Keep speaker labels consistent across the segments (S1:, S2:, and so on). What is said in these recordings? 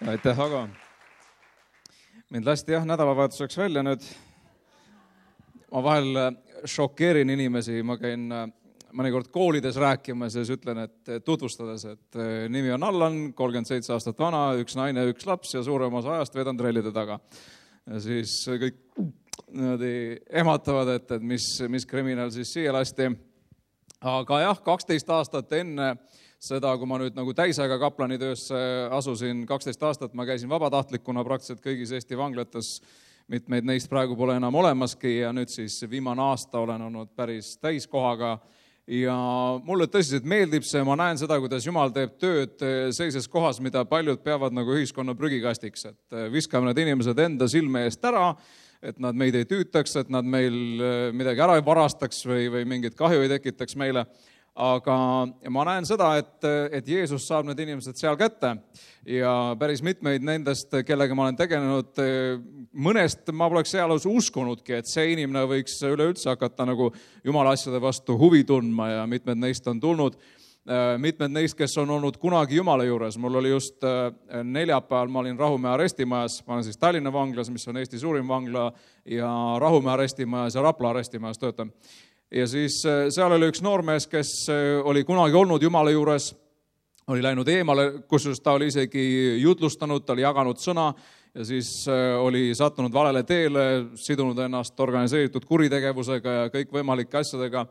S1: Aitäh, Ago. Mind lasti nädalavahetuseks välja nüüd. Ma vahel šokeerin inimesi, ma käin mõnikord koolides rääkimas ja siis ütlen, et tutvustades, et nimi on Allan, 37 aastat vana, üks naine, üks laps ja suurem osa ajast vedan trellide taga. Ja siis kõik ematavad, et mis kriminaal siis siia lasti. Aga jah, 12 aastat enne seda, kui ma nüüd nagu täisaega kaplanitöösse asusin, 12 aastat ma käisin vabatahtlikuna praktiliselt kõigis Eesti vanglates, mitmeid neist praegu pole enam olemaski ja nüüd siis viimane aasta olen olnud päris täiskohaga ja mulle tõsiselt meeldib see, ma näen seda, kuidas Jumal teeb tööd sellises kohas, mida paljud peavad nagu ühiskonna prügikastiks, et viskame need inimesed enda silme eest ära, et nad meid ei tüütaks, et nad meil midagi ära ei varastaks või mingit kahju ei tekitaks meile. Aga ma näen seda, et Jeesus saab need inimesed seal kätte ja päris mitmeid nendest, kellega ma olen tegelenud, mõnest ma poleks ealus uskunudki, et see inimene võiks üleüldse hakata nagu Jumala asjade vastu huvi tundma ja mitmed neist on tulnud. Mitmed neist, kes on olnud kunagi Jumala juures. Mul oli just neljapäeval, ma olin Rahumäe arestimajas, ma olen siis Tallinna vanglas, mis on Eesti suurim vangla ja Rahumäe arestimajas ja Rapla arestimajas töötan. Ja siis seal oli üks noormees, kes oli kunagi olnud Jumala juures, oli läinud eemale, kus ta oli isegi jutlustanud, ta oli jaganud sõna ja siis oli sattunud valele teele, sidunud ennast organiseeritud kuritegevusega ja kõik võimalike asjadega.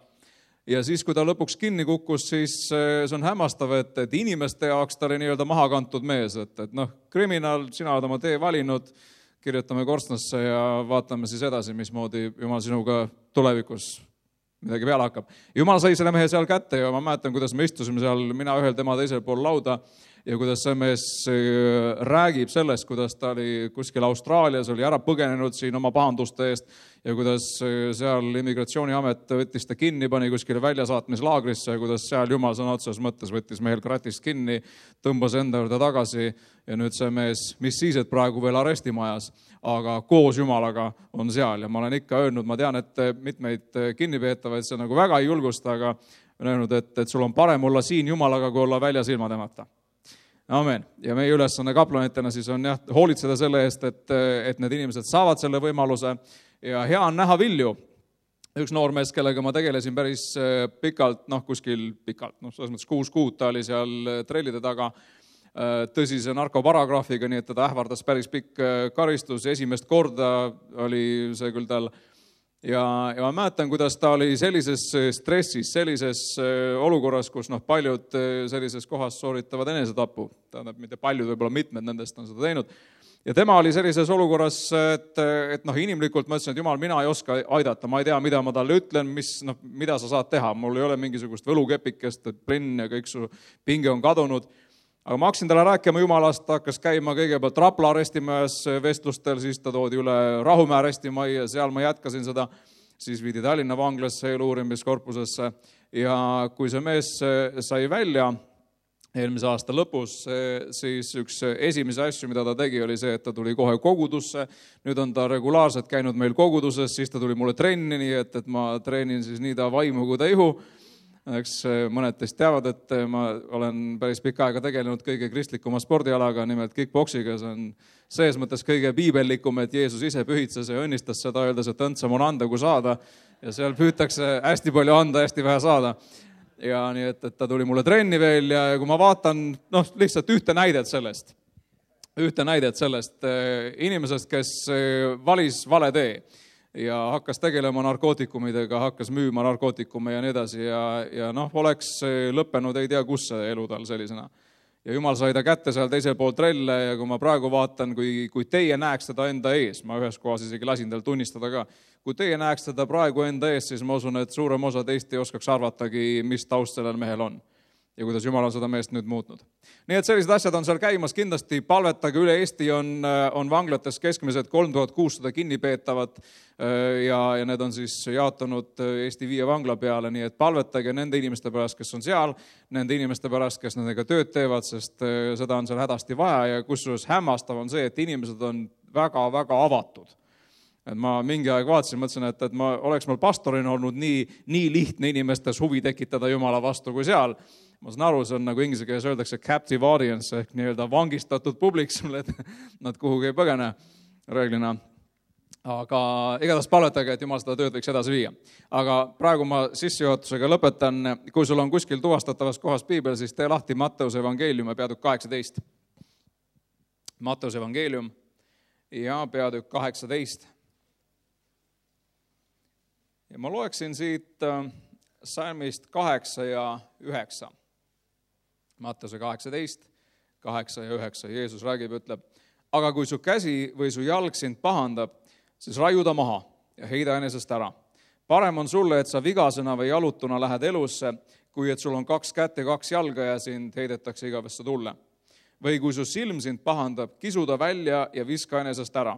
S1: Ja siis, kui ta lõpuks kinni kukkus, siis see on hämmastav, et inimeste jaoks ta oli nii-öelda maha kantud mees, et kriminaal, sina oled oma tee valinud, kirjutame korstnasse ja vaatame siis edasi, mismoodi Jumal sinuga tulevikus midagi peale hakkab. Jumal sai selle mehe seal kätte ja ma mäletan, kuidas me istusime seal, mina ühel, tema teisel pool lauda ja kuidas see mees räägib sellest, kuidas ta oli kuskil Austraalias, oli ära põgenenud siin oma pahanduste eest ja kuidas seal immigratsiooniamet võttis ta kinni, pani kuskile väljasaatmislaagrisse ja kuidas seal Jumal sõna otseses mõttes võttis mehel kratist kinni, tõmbas enda juurde tagasi ja nüüd see mees, mis siis, et praegu veel arestimajas, aga koos Jumalaga on seal ja ma olen ikka öelnud, ma tean, et mitmeid kinnipeetavaid see nagu väga ei julgusta, aga olen öelnud, et sul on parem olla siin Jumalaga, kui olla väljas ilma temata. Amen. Ja meie ülesanne kaplanitena siis on hoolitseda selle eest, et need inimesed saavad selle võimaluse ja hea on näha vilju. Üks noormees, kellega ma tegelesin päris pikalt, selles mõttes 6 kuud ta oli seal trellide taga, tõsise narkoparagraafiga, nii et teda ähvardas päris pikk karistus, esimest korda oli see küll tal. Ja ma mäletan, kuidas ta oli sellises stressis, sellises olukorras, kus paljud sellises kohas sooritavad enesetapu. Tähendab, mitte paljud, võib-olla mitmed nendest on seda teinud. Ja tema oli sellises olukorras, et inimlikult ma ütlesin, et Jumal, mina ei oska aidata, ma ei tea, mida ma talle ütlen, mida sa saad teha. Mul ei ole mingisugust võlukepikest, et plinn ja kõik su pinge on kadunud. Aga ma hakkasin talle rääkima Jumalast, ta hakkas käima kõigepealt Rapla arestimajas vestlustel, siis ta toodi üle Rahumäe arestimajja ja seal ma jätkasin seda, siis viidi Tallinna vanglasse eluurimiskorpusesse ja kui see mees sai välja eelmise aasta lõpus, siis üks esimese asju, mida ta tegi, oli see, et ta tuli kohe kogudusse, nüüd on ta regulaarselt käinud meil koguduses, siis ta tuli mulle trenni, nii et ma treenin siis nii ta vaimu kui ta ihu. Eks mõned teist teavad, et ma olen päris pikka aega tegelenud kõige kristlikuma spordialaga, nimelt kickboksiga. See on sees mõttes kõige piibellikum, et Jeesus ise pühitses ja õnnistas seda, öeldes, et õndsam on anda kui saada. Ja seal püütakse hästi palju anda, hästi vähe saada. Ja nii, et ta tuli mulle trenni veel ja kui ma vaatan lihtsalt ühte näidet sellest inimesest, kes valis vale tee ja hakkas tegelema narkootikumidega, hakkas müüma narkootikume ja nii edasi ja oleks lõppenud, ei tea, kus see elu tal sellisena. Ja Jumal sai ta kätte seal teisel pool trelle ja kui ma praegu vaatan, kui teie näeks teda enda ees, ma ühes kohas isegi lasin tal tunnistada ka, kui teie näeks teda praegu enda ees, siis ma usun, et suurem osa teist ei oskaks arvatagi, mis taust sellel mehel on. Ja kuidas Jumal on seda meest nüüd muutnud. Nii et sellised asjad on seal käimas, kindlasti palvetage üle Eesti on vanglates keskmiselt 3600 kinnipeetavat ja need on siis jaotunud Eesti 5 vangla peale, nii et palvetage nende inimeste pärast, kes on seal, nende inimeste pärast, kes nendega tööd teevad, sest seda on seal hädasti vaja ja kusjuures hämmastav on see, et inimesed on väga-väga avatud. Et ma mingi aeg vaatasin, mõtlesin, et oleks mul pastorina olnud nii lihtne inimestes huvi tekitada Jumala vastu kui seal. ma saan aru, see on nagu inglise keeles öeldakse captive audience ehk nii-öelda vangistatud publik sulle, et nad kuhugi ei põgene reeglina. Aga igatahes palvetage, et Jumal seda tööd võiks edasi viia. Aga praegu ma sissejuhatusega lõpetan. Kui sul on kuskil tuvastatavas kohas piibel, siis tee lahti Matteuse evangeelium ja peatükk 18. Matteuse evangeelium ja peatükk 18. Ja ma loeksin siit salmist 8 ja 9. Matteuse 18, 8 ja 9. Jeesus räägib, ütleb, aga kui su käsi või su jalg sind pahandab, siis raiu ta maha ja heida enesest ära. Parem on sulle, et sa vigasena või jalutuna lähed elusse, kui et sul on 2 kätt ja 2 jalga ja sind heidetakse igavesse tulle. Või kui su silm sind pahandab, kisu ta välja ja viska enesest ära.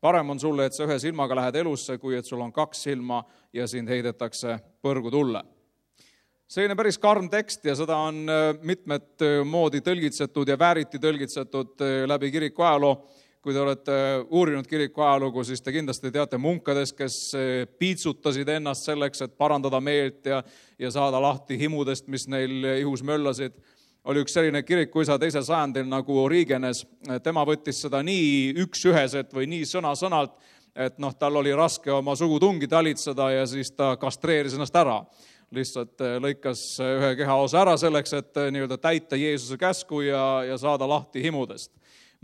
S1: Parem on sulle, et sa 1 silmaga lähed elusse, kui et sul on 2 silma ja sind heidetakse põrgu tulle. Selline päris karm tekst ja seda on mitmed moodi tõlgitsetud ja vääriti tõlgitsetud läbi kiriku ajaloo. Kui te olete uurinud kiriku ajalugu, siis te kindlasti teate munkadest, kes piitsutasid ennast selleks, et parandada meelt ja saada lahti himudest, mis neil ihus möllasid. Oli üks selline kirikuisa 2. sajandil nagu Origenes. Tema võttis seda nii üks-üheselt või nii sõna-sõnalt, et tal oli raske oma sugutungi talitseda ja siis ta kastreeris ennast ära. Lihtsalt lõikas ühe kehaosa ära selleks, et nii-öelda täita Jeesuse käsku ja saada lahti himudest.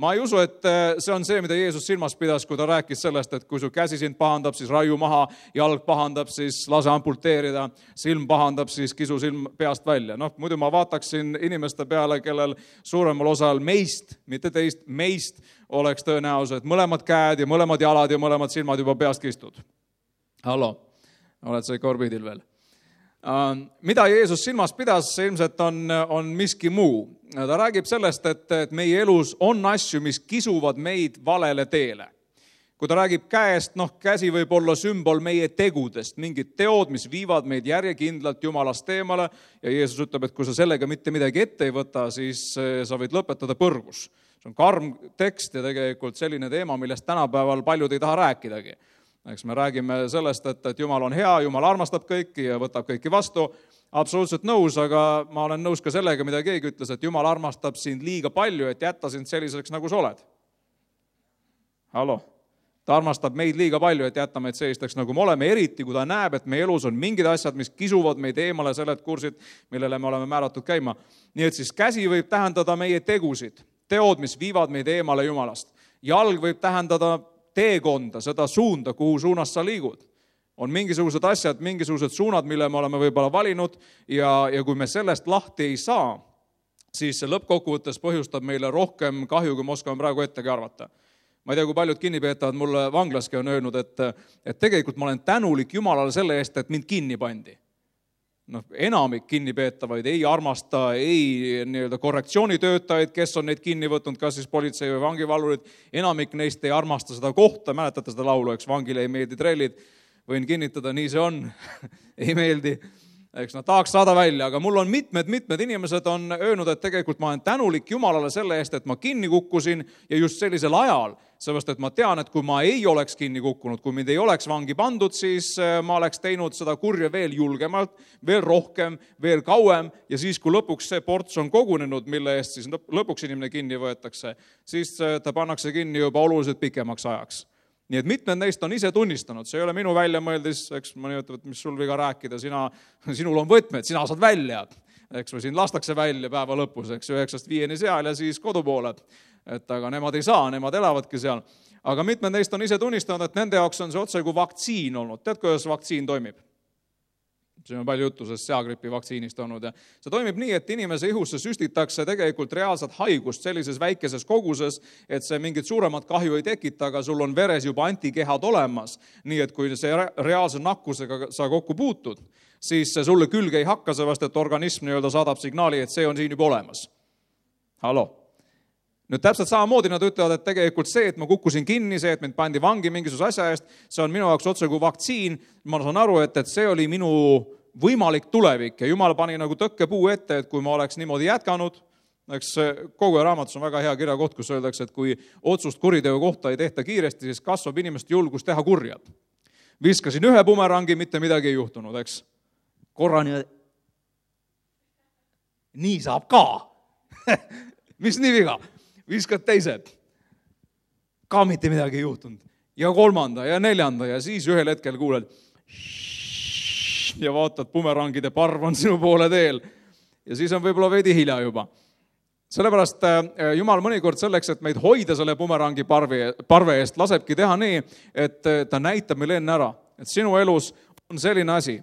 S1: Ma ei usu, et see on see, mida Jeesus silmas pidas, kui ta rääkis sellest, et kui su käsi sind pahandab, siis raiu maha, jalg pahandab, siis lase amputeerida, silm pahandab, siis kisu silm peast välja. Muidu ma vaataksin inimeste peale, kellel suuremal osal meist, mitte teist, meist oleks tõenäoliselt mõlemad käed ja mõlemad jalad ja mõlemad silmad juba peast kistud. Hallo, oled sa ikka orbiidil veel? Mida Jeesus silmas pidas, see ilmselt on miski muu. Ta räägib sellest, et meie elus on asju, mis kisuvad meid valele teele. Kui ta räägib käest, käsi võib olla sümbol meie tegudest, mingid teod, mis viivad meid järjekindlalt Jumalast eemale ja Jeesus ütleb, et kui sa sellega mitte midagi ette ei võta, siis sa võid lõpetada põrgus. See on karm tekst ja tegelikult selline teema, millest tänapäeval paljud ei taha rääkidagi. Eks me räägime sellest, et Jumal on hea, Jumal armastab kõiki ja võtab kõiki vastu. Absoluutselt nõus, aga ma olen nõus ka sellega, mida keegi ütles, et Jumal armastab sind liiga palju, et jätta sind selliseks, nagu sa oled. Hallo. Ta armastab meid liiga palju, et jätta meid sellisteks, nagu me oleme, eriti kui ta näeb, et meie elus on mingid asjad, mis kisuvad meid eemale sellelt kursid, millele me oleme määratud käima. Nii et siis käsi võib tähendada meie tegusid, teod, mis viivad meid eemale Jumalast. Jalg võib tähendada teekonda, seda suunda, kuhu suunas sa liigud. On mingisugused asjad, mingisugused suunad, mille me oleme võib-olla valinud ja kui me sellest lahti ei saa, siis see lõppkokkuvõttes põhjustab meile rohkem kahju, kui me oskame praegu ettegi arvata. Ma ei tea, kui paljud kinnipeetavad mulle vanglaski on öelnud, et tegelikult ma olen tänulik Jumalale selle eest, et mind kinni pandi. Enamik kinnipeetavaid ei armasta, ei nii-öelda korrektsioonitöötajaid, kes on neid kinni võtnud, kas siis politsei või vangivalvurid, enamik neist ei armasta seda kohta, mäletate seda laulu, eks vangile ei meeldi trellid, võin kinnitada, nii see on, ei meeldi, eks nad tahaks saada välja, aga mul on mitmed inimesed on öelnud, et tegelikult ma olen tänulik Jumalale selle eest, et ma kinni kukkusin ja just sellisel ajal, sellepärast, et ma tean, et kui ma ei oleks kinni kukkunud, kui mind ei oleks vangi pandud, siis ma oleks teinud seda kurja veel julgemalt, veel rohkem, veel kauem ja siis, kui lõpuks see ports on kogunenud, mille eest siis lõpuks inimene kinni võetakse, siis ta pannakse kinni juba oluliselt pikemaks ajaks. Nii et mitmed neist on ise tunnistanud, see ei ole minu väljamõeldis, eks ma nimetab, et mis sul viga rääkida, sinul on võtmed, sina saad välja, eks või siin lastakse välja päeva lõpus, eks 9-5 seal ja siis kodupoole. Et aga nemad ei saa, nemad elavadki seal. Aga mitmed neist on ise tunnistanud, et nende jaoks on see otse kui vaktsiin olnud. Tead, kuidas vaktsiin toimib? See on palju juttu sellest seagripi vaktsiinist olnud. Ja see toimib nii, et inimese ihusse süstitakse tegelikult reaalset haigust sellises väikeses koguses, et see mingit suuremat kahju ei tekita, aga sul on veres juba antikehad olemas. Nii et kui see reaalse nakkusega sa kokku puutud, siis see sulle külge ei hakka, sellepärast et organism nii-öelda saadab signaali, et see on siin juba olemas. Hallo. Nüüd täpselt samamoodi nad ütlevad, et tegelikult see, et ma kukkusin kinni, see, et mind pandi vangi mingisuguse asja eest, see on minu jaoks otse kui vaktsiin. Ma saan aru, et see oli minu võimalik tulevik ja Jumal pani nagu tõkkepuu ette, et kui ma oleks niimoodi jätkanud, eks kogu raamatus on väga hea kirjakoht, kus öeldakse, et kui otsust kuriteo kohta ei tehta kiiresti, siis kasvab inimeste julgus teha kurjad. Viskasin ühe bumerangi, mitte midagi ei juhtunud, eks. Korrani nii saab ka. Mis nii viga? Viskad teised. Ka mitte midagi ei juhtunud. Ja 3. ja 4. ja siis ühel hetkel kuuled ja vaatad, bumerangide parv on sinu poole teel. Ja siis on võib-olla veidi hilja juba. Sellepärast Jumal mõnikord selleks, et meid hoida selle bumerangi parve eest, lasebki teha nii, et ta näitab meile enne ära, et sinu elus on selline asi,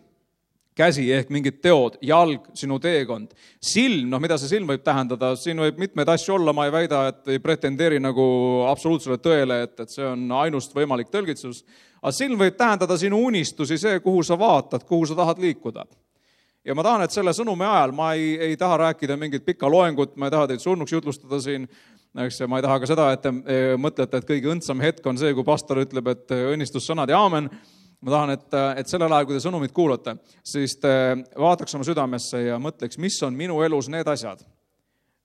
S1: käsi ehk mingid teod, jalg, sinu teekond, silm, mida see silm võib tähendada, siin võib mitmeid asju olla, ma ei väida, et ei pretendeeri nagu absoluutsele tõele, et see on ainust võimalik tõlgitsus, aga silm võib tähendada sinu unistusi, see, kuhu sa vaatad, kuhu sa tahad liikuda. Ja ma tahan, et selle sõnumi ajal ma ei taha rääkida mingit pikka loengut, ma ei taha teid surnuks jutlustada siin, ma ei taha ka seda, et te mõtlete, et kõige õndsam hetk on see, kui pastor ütleb, et õnnistussõnad ja aamen. Ma tahan, et sellel ajal, kui te sõnumit kuulate, siis te vaataks oma südamesse ja mõtleks, mis on minu elus need asjad,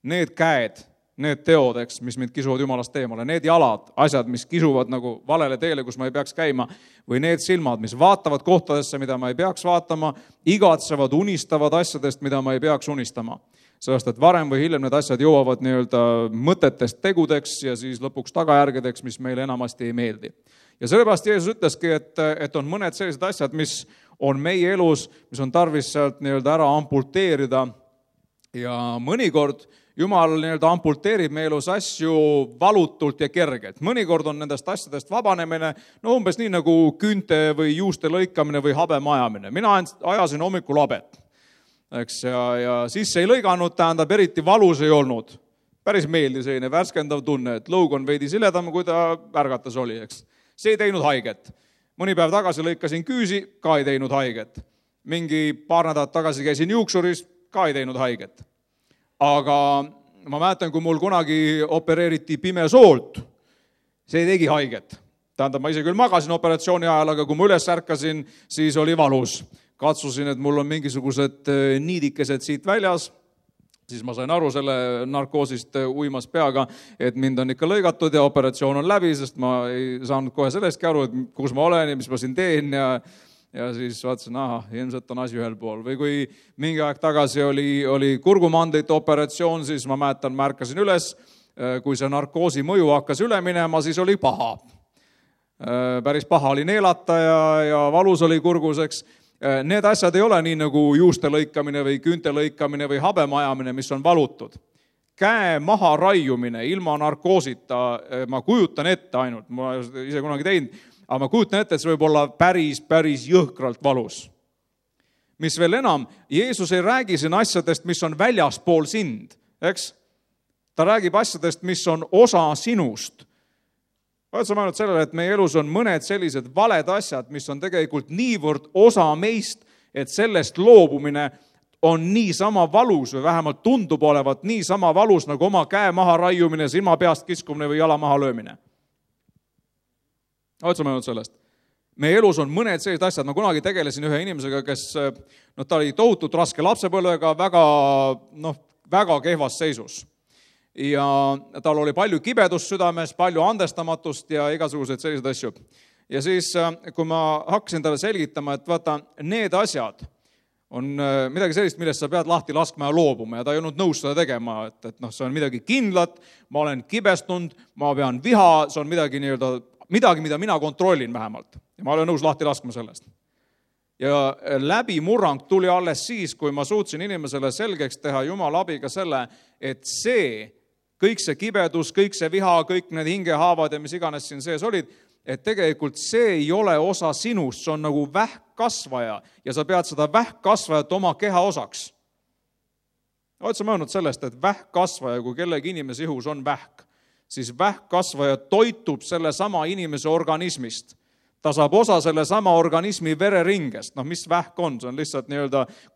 S1: need käed, need teod, mis mind kisuvad Jumalast eemale, need jalad, asjad, mis kisuvad nagu valele teele, kus ma ei peaks käima, või need silmad, mis vaatavad kohtadesse, mida ma ei peaks vaatama, igatsevad, unistavad asjadest, mida ma ei peaks unistama. Sellest, et varem või hiljem need asjad jõuavad mõtetest tegudeks ja siis lõpuks tagajärgedeks, mis meile enamasti ei meeldi. Ja sellepärast Jeesus ütleski, et on mõned sellised asjad, mis on meie elus, mis on tarvis sealt ära ampulteerida ja mõnikord Jumal ampulteerib meie elus asju valutult ja kergelt. Mõnikord on nendest asjadest vabanemine, umbes nii nagu küünte või juuste lõikamine või habe majamine. Mina ajasin hommikul habet, eks, ja siis ei lõiganud, tähendab, eriti valus ei olnud. Päris meeldi selline värskendav tunne, et lõug on veidi siledam, kui ta ärgatas oli, eks. See ei teinud haiget. Mõni päev tagasi lõikasin küüsi, ka ei teinud haiget. Mingi paar nädalat tagasi käisin juuksuris, ka ei teinud haiget. Aga ma mäletan, kui mul kunagi opereeriti pimesoolt, see tegi haiget. Tähendab, ma ise küll magasin operatsiooni ajal, aga kui ma üles ärkasin, siis oli valus. Katsusin, et mul on mingisugused niidikesed siit väljas, siis ma sain aru selle narkoosist uimas peaga, et mind on ikka lõigatud ja operatsioon on läbi, sest ma ei saanud kohe sellestki aru, et kus ma olen ja mis ma siin teen ja siis vaatasin, ilmselt on asi ühel pool. Või kui mingi aeg tagasi oli kurgumandlite operatsioon, siis ma mäletan, ma ärkasin üles, kui see narkoosi mõju hakkas üle minema, siis oli paha. Päris paha oli neelata ja valus oli kurguseks. Need asjad ei ole nii nagu juuste lõikamine või küünte lõikamine või habe majamine, mis on valutud. Käe maha raiumine ilma narkoosita, ma kujutan ette ainult, ma ise kunagi teinud, aga ma kujutan ette, et see võib olla päris jõhkralt valus. Mis veel enam, Jeesus ei räägi siin asjadest, mis on väljaspool sind, eks? Ta räägib asjadest, mis on osa sinust. Vaatame ainult sellele, et meie elus on mõned sellised valed asjad, mis on tegelikult niivõrd osa meist, et sellest loobumine on nii sama valus või vähemalt tundub olevat nii sama valus nagu oma käe maha raiumine, silma peast kiskumine või jala maha löömine. Otsame ainult sellest. Meie elus on mõned sellised asjad. Ma kunagi tegelesin ühe inimesega, kes ta oli tohutult raske lapsepõlvega, väga kehvas seisus. Ja tal oli palju kibedust südames, palju andestamatust ja igasuguseid selliseid asju. Ja siis, kui ma hakkasin talle selgitama, et vaata, need asjad on midagi sellist, millest sa pead lahti laskma ja loobuma ja ta ei olnud nõus seda tegema, et see on midagi kindlat, ma olen kibestunud, ma pean viha, see on midagi, mida mina kontrollin vähemalt. Ja ma olen nõus lahti laskma sellest. Ja läbimurrang tuli alles siis, kui ma suutsin inimesele selgeks teha Jumala abiga selle, et kõik see kibedus, kõik see viha, kõik need hingehaavad ja mis iganes siin sees olid, et tegelikult see ei ole osa sinust, see on nagu vähkkasvaja ja sa pead seda vähkkasvajat oma keha osaks. Otsame öelnud sellest, et vähkkasvaja, kui kellegi inimese ihus on vähk, siis vähkkasvaja toitub selle sama inimese organismist. Ta saab osa selle sama organismi vereringest. Mis vähk on? See on lihtsalt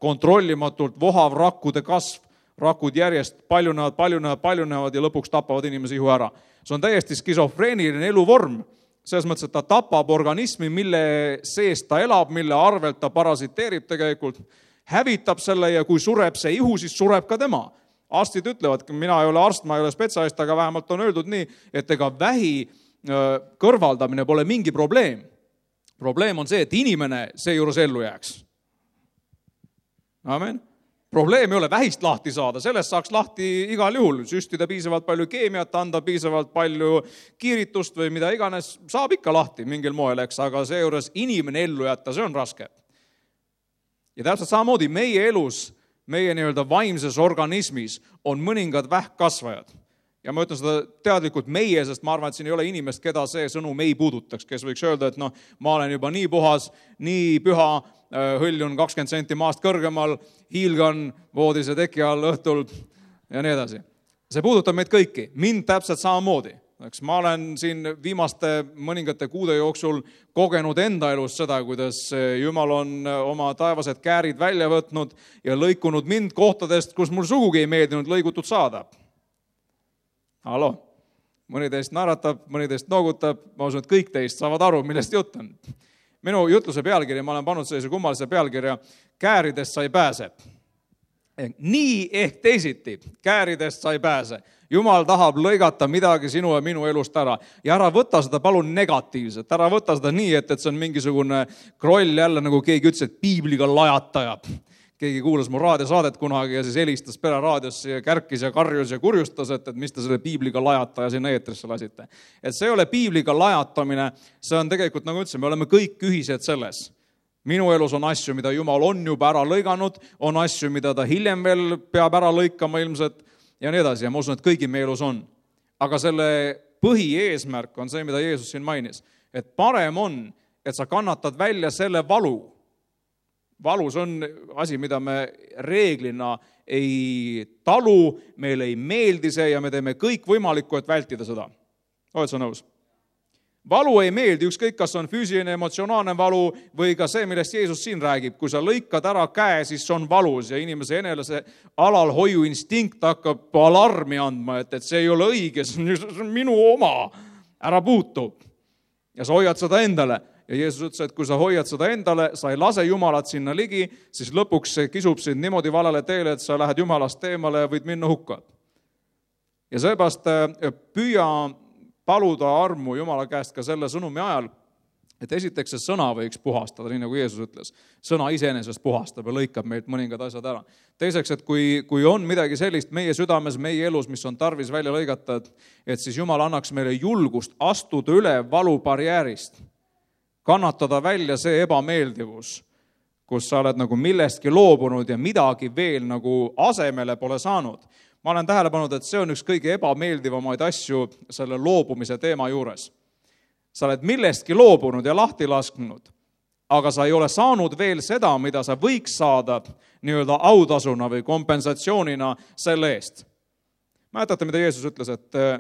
S1: kontrollimatult vohav rakkude kasv. Rakud järjest paljunevad ja lõpuks tapavad inimese ihu ära. See on täiesti skisofreeniline eluvorm. Selles mõttes, et ta tapab organismi, mille sees ta elab, mille arvelt ta parasiteerib tegelikult, hävitab selle ja kui sureb see ihu, siis sureb ka tema. Arstid ütlevad, mina ei ole arst, ma ei ole spetsialist, aga vähemalt on öeldud nii, et ega vähi kõrvaldamine pole mingi probleem. Probleem on see, et inimene seejuures ellu jääks. Amen. probleem ei ole vähist lahti saada, sellest saaks lahti igal juhul, süstida piisavalt palju keemiat, anda piisavalt palju kiiritust või mida iganes, saab ikka lahti mingil moel, eks, aga seejuures inimene ellu jätta, see on raske. Ja täpselt samamoodi meie elus, meie nii-öelda vaimses organismis on mõningad vähkkasvajad. Ja ma ütlen seda teadlikult meie, sest ma arvan, et siin ei ole inimest, keda see sõnum ei puudutaks, kes võiks öelda, et ma olen juba nii puhas, nii püha, hõljun 20 senti maast kõrgemal, hiilgan voodise teki all õhtul ja nii edasi. See puudutab meid kõiki, mind täpselt samamoodi. Ma olen siin viimaste mõningate kuude jooksul kogenud enda elus seda, kuidas Jumal on oma taevased käärid välja võtnud ja lõikunud mind kohtadest, kus mul sugugi ei meeldinud lõigutud saada. Mõni teist naeratab, mõni teist noogutab, ma usun, et kõik teist saavad aru, millest jutt on. Minu jutluse pealkirja, ma olen pannud sellise kummalise pealkirja, kääridest sa ei pääse. Nii ehk teisiti, kääridest sa ei pääse. Jumal tahab lõigata midagi sinu ja minu elust ära. Ja ära võta seda palun negatiivselt, ära võta seda nii, et see on mingisugune kroll jälle, nagu keegi ütles, et piibliga lajataja. Keegi kuulas mu raadiosaadet kunagi ja siis helistas pereraadiosse ja kärkis ja karjus ja kurjustas, et mis te selle piibliga lajataja sinna eetrisse lasite. Et see ei ole piibliga lajatamine, see on tegelikult, nagu ütlesin, me oleme kõik ühised selles. Minu elus on asju, mida Jumal on juba ära lõiganud, on asju, mida ta hiljem veel peab ära lõikama ilmselt ja nii edasi. Ja ma usun, et kõigi meie elus on. Aga selle põhieesmärk on see, mida Jeesus siin mainis. Et parem on, et sa kannatad välja selle valu. Valus on asi, mida me reeglina ei talu, meil ei meeldi see ja me teeme kõik võimalikku, et vältida seda. Oled sa nõus? Valu ei meeldi, ükskõik kas on füüsiline, emotsionaalne valu või ka see, millest Jeesus siin räägib. Kui sa lõikad ära käe, siis see on valus ja inimese enelase alalhoiu instinkt hakkab alarmi andma, et see ei ole õige, see on minu oma, ära puutu. Ja sa hoiad seda endale. Ja Jeesus ütles, et kui sa hoiad seda endale, sa ei lase Jumalat sinna ligi, siis lõpuks see kisub sind niimoodi valele teele, et sa lähed Jumalast teemale ja võid minna hukka. Ja seepärast püüa paluda armu Jumala käest ka selle sõnumi ajal, et esiteks see sõna võiks puhastada, nii nagu Jeesus ütles. Sõna iseenesest puhastab ja lõikab meilt mõningad asjad ära. Teiseks, et kui on midagi sellist meie südames, meie elus, mis on tarvis välja lõigata, et siis Jumal annaks meile julgust astuda üle valubarjäärist, kannatada välja see ebameeldivus, kus sa oled nagu millestki loobunud ja midagi veel nagu asemele pole saanud. Ma olen tähele pannud, et see on üks kõige ebameeldivamaid asju selle loobumise teema juures. Sa oled millestki loobunud ja lahti lasknud, aga sa ei ole saanud veel seda, mida sa võiks saada nii-öelda autasuna või kompensatsioonina selle eest. Mäletate, mida Jeesus ütles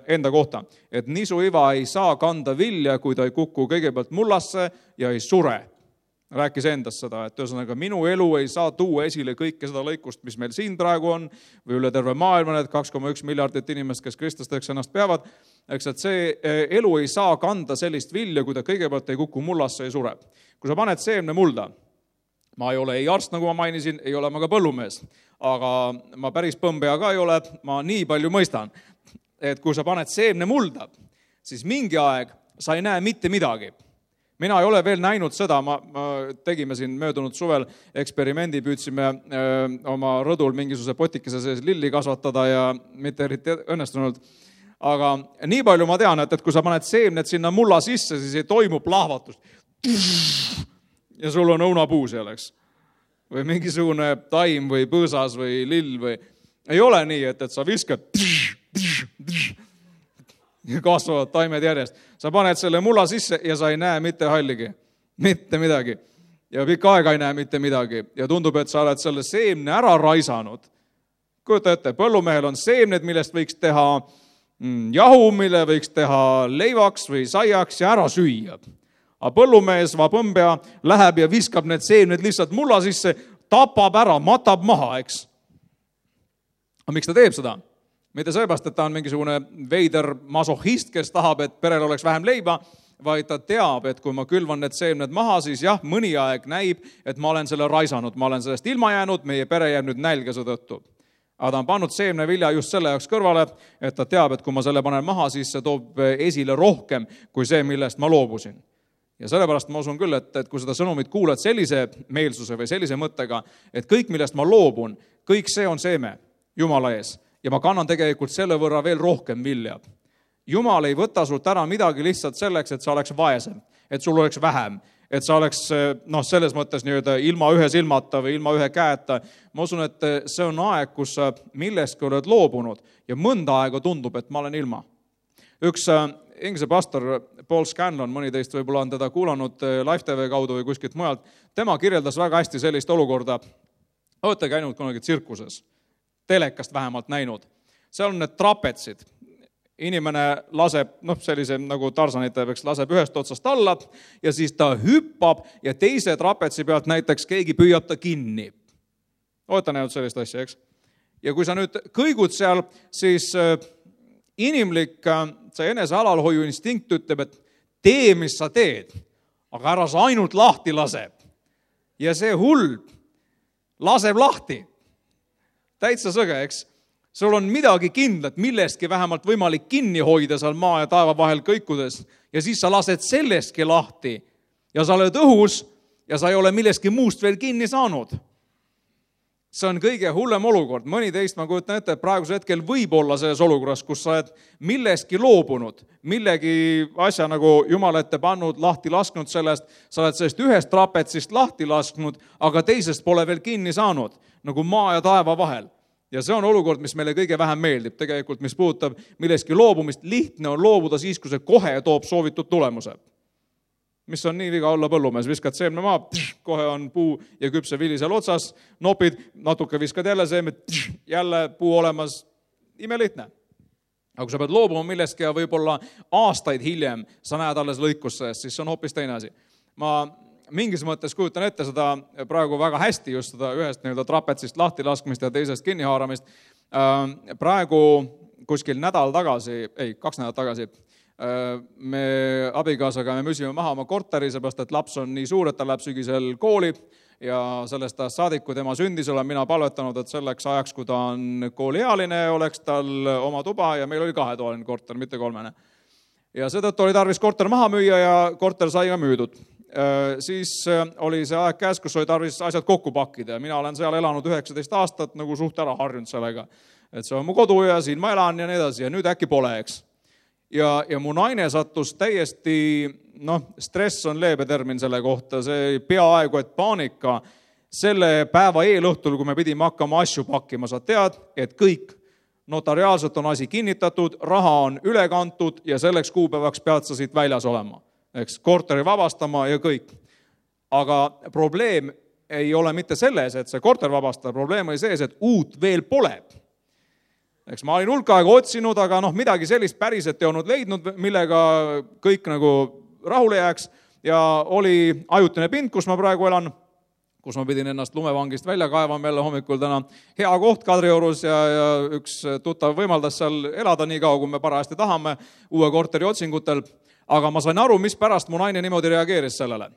S1: enda kohta, et nisuiva ei saa kanda vilja, kui ta ei kuku kõigepealt mullasse ja ei sure. Rääkis endast seda, et ühesõnaga minu elu ei saa tuua esile kõike seda lõikust, mis meil siin praegu on, või üle terve maailma, need 2,1 miljardit inimest, kes kristlasteks ennast peavad, eks, et see elu ei saa kanda sellist vilja, kui ta kõigepealt ei kuku mullasse ja ei sure. Kui sa paned seemne mulda, ma ei ole ei arst, nagu ma mainisin, ei ole ma ka põllumees, aga ma päris põmbea ka ei ole, ma nii palju mõistan, et kui sa paned seemne mulda, siis mingi aeg sa ei näe mitte midagi. Mina ei ole veel näinud seda, ma tegime siin möödunud suvel eksperimendi, püüdsime oma rõdul mingisuguse potikese sees lilli kasvatada ja mitte eriti õnnestunult. Aga nii palju ma tean, et kui sa paned seemned sinna mulla sisse, siis ei toimu plahvatus. Ja sul on õunapuu seal, eks. Või mingisugune taim või põõsas või lill või... Ei ole nii, et sa viskad ja kasvavad taimed järjest. Sa paned selle mulla sisse ja sa ei näe mitte halligi. Mitte midagi. Ja pikka aega ei näe mitte midagi. Ja tundub, et sa oled selle seemne ära raisanud. Kujuta ette, põllumehel on seemned, millest võiks teha jahu, mille võiks teha leivaks või saiaks ja ära süüa. Aga põllumees, põmbea, läheb ja viskab need seemned lihtsalt mulla sisse, tapab ära, matab maha, eks. Aga miks ta teeb seda? Mitte seepärast, et ta on mingisugune veider masohhist, kes tahab, et perel oleks vähem leiba, vaid ta teab, et kui ma külvan need seemned maha, siis jah, mõni aeg näib, et ma olen selle raisanud, ma olen sellest ilma jäänud, meie pere jääb nüüd nälgase tõttu. Aga ta on pannud seemnevilja just selle jaoks kõrvale, et ta teab, et kui ma selle panen maha, siis see toob esile rohkem kui see, millest ma loobusin. Ja sellepärast ma usun küll, et kui seda sõnumit kuuled sellise meelsuse või sellise mõttega, et kõik, millest ma loobun, kõik see on seeme Jumala ees ja ma kannan tegelikult selle võrra veel rohkem vilja. Jumal ei võta sult ära midagi lihtsalt selleks, et sa oleks vaesem, et sul oleks vähem, et sa oleks selles mõttes ilma ühe silmata või ilma ühe käeta. Ma usun, et see on aeg, kus sa millestki oled loobunud ja mõnda aega tundub, et ma olen ilma. Üks Inglise pastor Paul Scanlon, mõni teist võib-olla on teda kuulanud Live TV kaudu või kuskilt mujalt, tema kirjeldas väga hästi sellist olukorda. Olete käinud kunagi tsirkuses, telekast vähemalt näinud. Seal on need trapetsid. Inimene laseb, sellise nagu Tarzanite laseb ühest otsast alla ja siis ta hüppab ja teise trapetsi pealt näiteks keegi püüab ta kinni. Olete näinud sellist asja, eks? Ja kui sa nüüd kõigud seal, siis inimlik see enese alalhoiu instinkt ütleb, et tee, mis sa teed, aga ära sa ainult lahti laseb. Ja see hull laseb lahti. Täitsa sõge, eks? Sul on midagi kindlat, millestki vähemalt võimalik kinni hoida seal maa ja taeva vahel kõikudes. Ja siis sa lased sellestki lahti ja sa oled õhus ja sa ei ole millestki muust veel kinni saanud. See on kõige hullem olukord. Mõni teist, ma kujutan ette, et praegusel hetkel võib olla selles olukorras, kus sa oled millestki loobunud, millegi asja nagu Jumal ette pannud, lahti lasknud sellest, sa oled sellest ühest trapetsist lahti lasknud, aga teisest pole veel kinni saanud, nagu maa ja taeva vahel. Ja see on olukord, mis meile kõige vähem meeldib, tegelikult mis puudutab millestki loobumist. Lihtne on loobuda siis, kui see kohe toob soovitud tulemuse. Mis on nii viga olla põllumees, viskad seemne maa, kohe on puu ja küpse vili seal otsas, nopid, natuke viskad jälle seemed, jälle puu olemas, imelihtne. Aga kui sa pead loobuma millestki ja võib-olla aastaid hiljem sa näed alles lõikusse, siis see on hoopis teine asi. Ma mingis mõttes kujutan ette seda praegu väga hästi, just seda ühest trapetsist lahti laskmist ja teisest kinnihaaramist. Praegu kuskil 2 nädalat tagasi me abikaasaga me müüsime maha oma korteri, seepärast et laps on nii suur, et ta läheb sügisel kooli ja sellest saadik, kui tema sündis, olen mina palvetanud, et selleks ajaks, kui ta on kooliealine, oleks tal oma tuba ja meil oli 2-toaline korter, mitte 3. Ja seetõttu oli tarvis korter maha müüa ja korter sai ka müüdud. Siis oli see aeg käes, kus oli tarvis asjad kokku pakkida ja mina olen seal elanud 19 aastat nagu suht ära harjunud sellega, et see on mu kodu ja siin ma elan ja nii edasi ja nüüd äkki pole, eks. Ja mu naine sattus täiesti, stress on leebe termin selle kohta, see peaaegu et paanika selle päeva eelõhtul, kui me pidime hakkama asju pakkima, sa tead, et kõik notariaalselt on asi kinnitatud, raha on üle kantud ja selleks kuupäevaks pead sa siit väljas olema. Eks, korteri vabastama ja kõik. Aga probleem ei ole mitte selles, et see korter vabastada, probleem oli sees, et uut veel pole. Eks ma olin hulka aega otsinud, aga midagi sellist päriselt ei olnud leidnud, millega kõik nagu rahule jääks ja oli ajutine pind, kus ma praegu elan, kus ma pidin ennast lumevangist välja kaevama jälle hommikul täna. Hea koht Kadriorus ja üks tuttav võimaldas seal elada nii kaua, kui me parajasti tahame uue korteri otsingutel. Aga ma sain aru, mis pärast mu naine niimoodi reageeris sellele.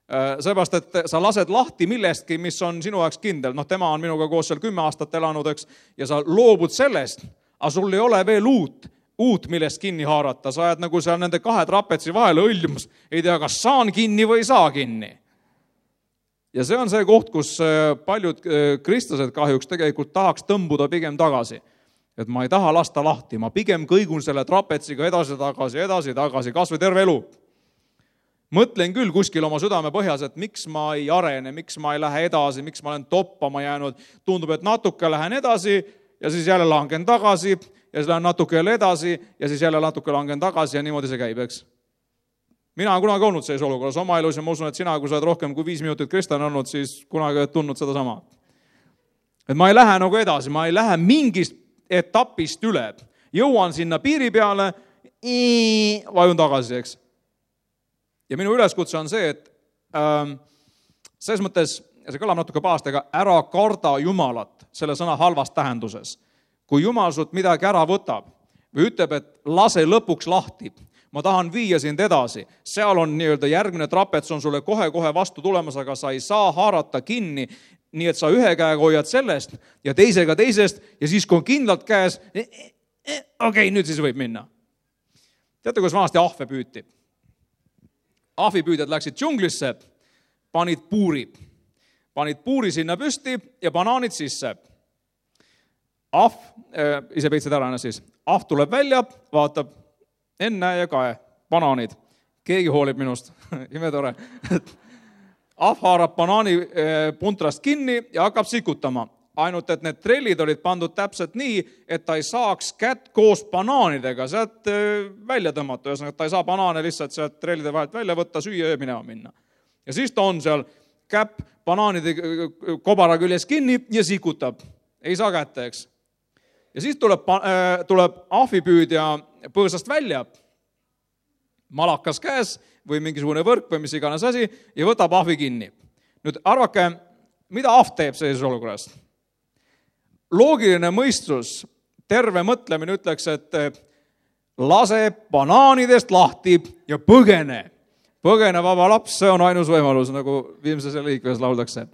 S1: Seepärast, et sa lased lahti millestki, mis on sinu jaoks kindel. Tema on minuga koos seal 10 aastat elanud, eks, ja sa loobud sellest, aga sul ei ole veel uut millest kinni haarata. Sa ajad nagu seal nende 2 trapetsi vahele õljumus. Ei tea, kas saan kinni või ei saa kinni. Ja see on see koht, kus paljud kristlased kahjuks tegelikult tahaks tõmbuda pigem tagasi. Et ma ei taha lasta lahti, ma pigem kõigun selle trapetsiga edasi, kas või terve elu. Mõtlen küll kuskil oma südame põhjas, et miks ma ei arene, miks ma ei lähe edasi, miks ma olen toppama jäänud. Tundub, et natuke lähen edasi ja siis jälle langen tagasi ja siis lähen natuke jälle edasi ja siis jälle natuke langen tagasi ja niimoodi see käib, eks. Mina olen kunagi olnud selles olukorras oma elus ja ma usun, et sina, kui sa oled rohkem kui 5 minutit kristlane olnud, siis kunagi oled tundnud seda sama. Et ma ei lähe nagu edasi, ma ei lähe mingist etapist üle. Jõuan sinna piiri peale, vajun tagasi, eks. Ja minu üleskutse on see, et selles mõttes, see kõlab natuke pahasti, aga ära karda Jumalat selle sõna halvas tähenduses. Kui Jumal sult midagi ära võtab või ütleb, et lase lõpuks lahti, ma tahan viia sind edasi, seal on järgmine trapets on sulle kohe vastu tulemas, aga sa ei saa haarata kinni, nii et sa ühe käega hoiad sellest ja teisega teisest ja siis, kui on kindlalt käes, okei, nüüd siis võib minna. Teate, kuidas vanasti ahve püüti? ahvipüüdjad läksid džunglisse, panid puuri sinna püsti ja banaanid sisse. Ahv, ise peitsid ära siis, ahv tuleb välja, vaatab, enne ja kae, banaanid. Keegi hoolib minust, imetore. Ahv haarab banaani puntrast kinni ja hakkab sikutama. Ainult, et need trellid olid pandud täpselt nii, et ta ei saaks kätt koos banaanidega sealt välja tõmmata. Ühesõnaga, ta ei saa banaane lihtsalt sealt trellide vahelt välja võtta, süüa ja minema minna. Ja siis ta on seal käpp banaanide kobara küljes kinni ja sikutab. Ei saa kätte, eks. Ja siis tuleb ahvipüüdja põõsast välja, malakas käes või mingisugune võrk või mis iganes asi ja võtab ahvi kinni. Nüüd arvake, mida ahv teeb sellises olukorras? Loogiline mõistus, terve mõtlemine ütleks, et lase banaanidest lahti ja põgene. Põgene vaba laps, see on ainus võimalus, nagu viimses liikves lauldakse.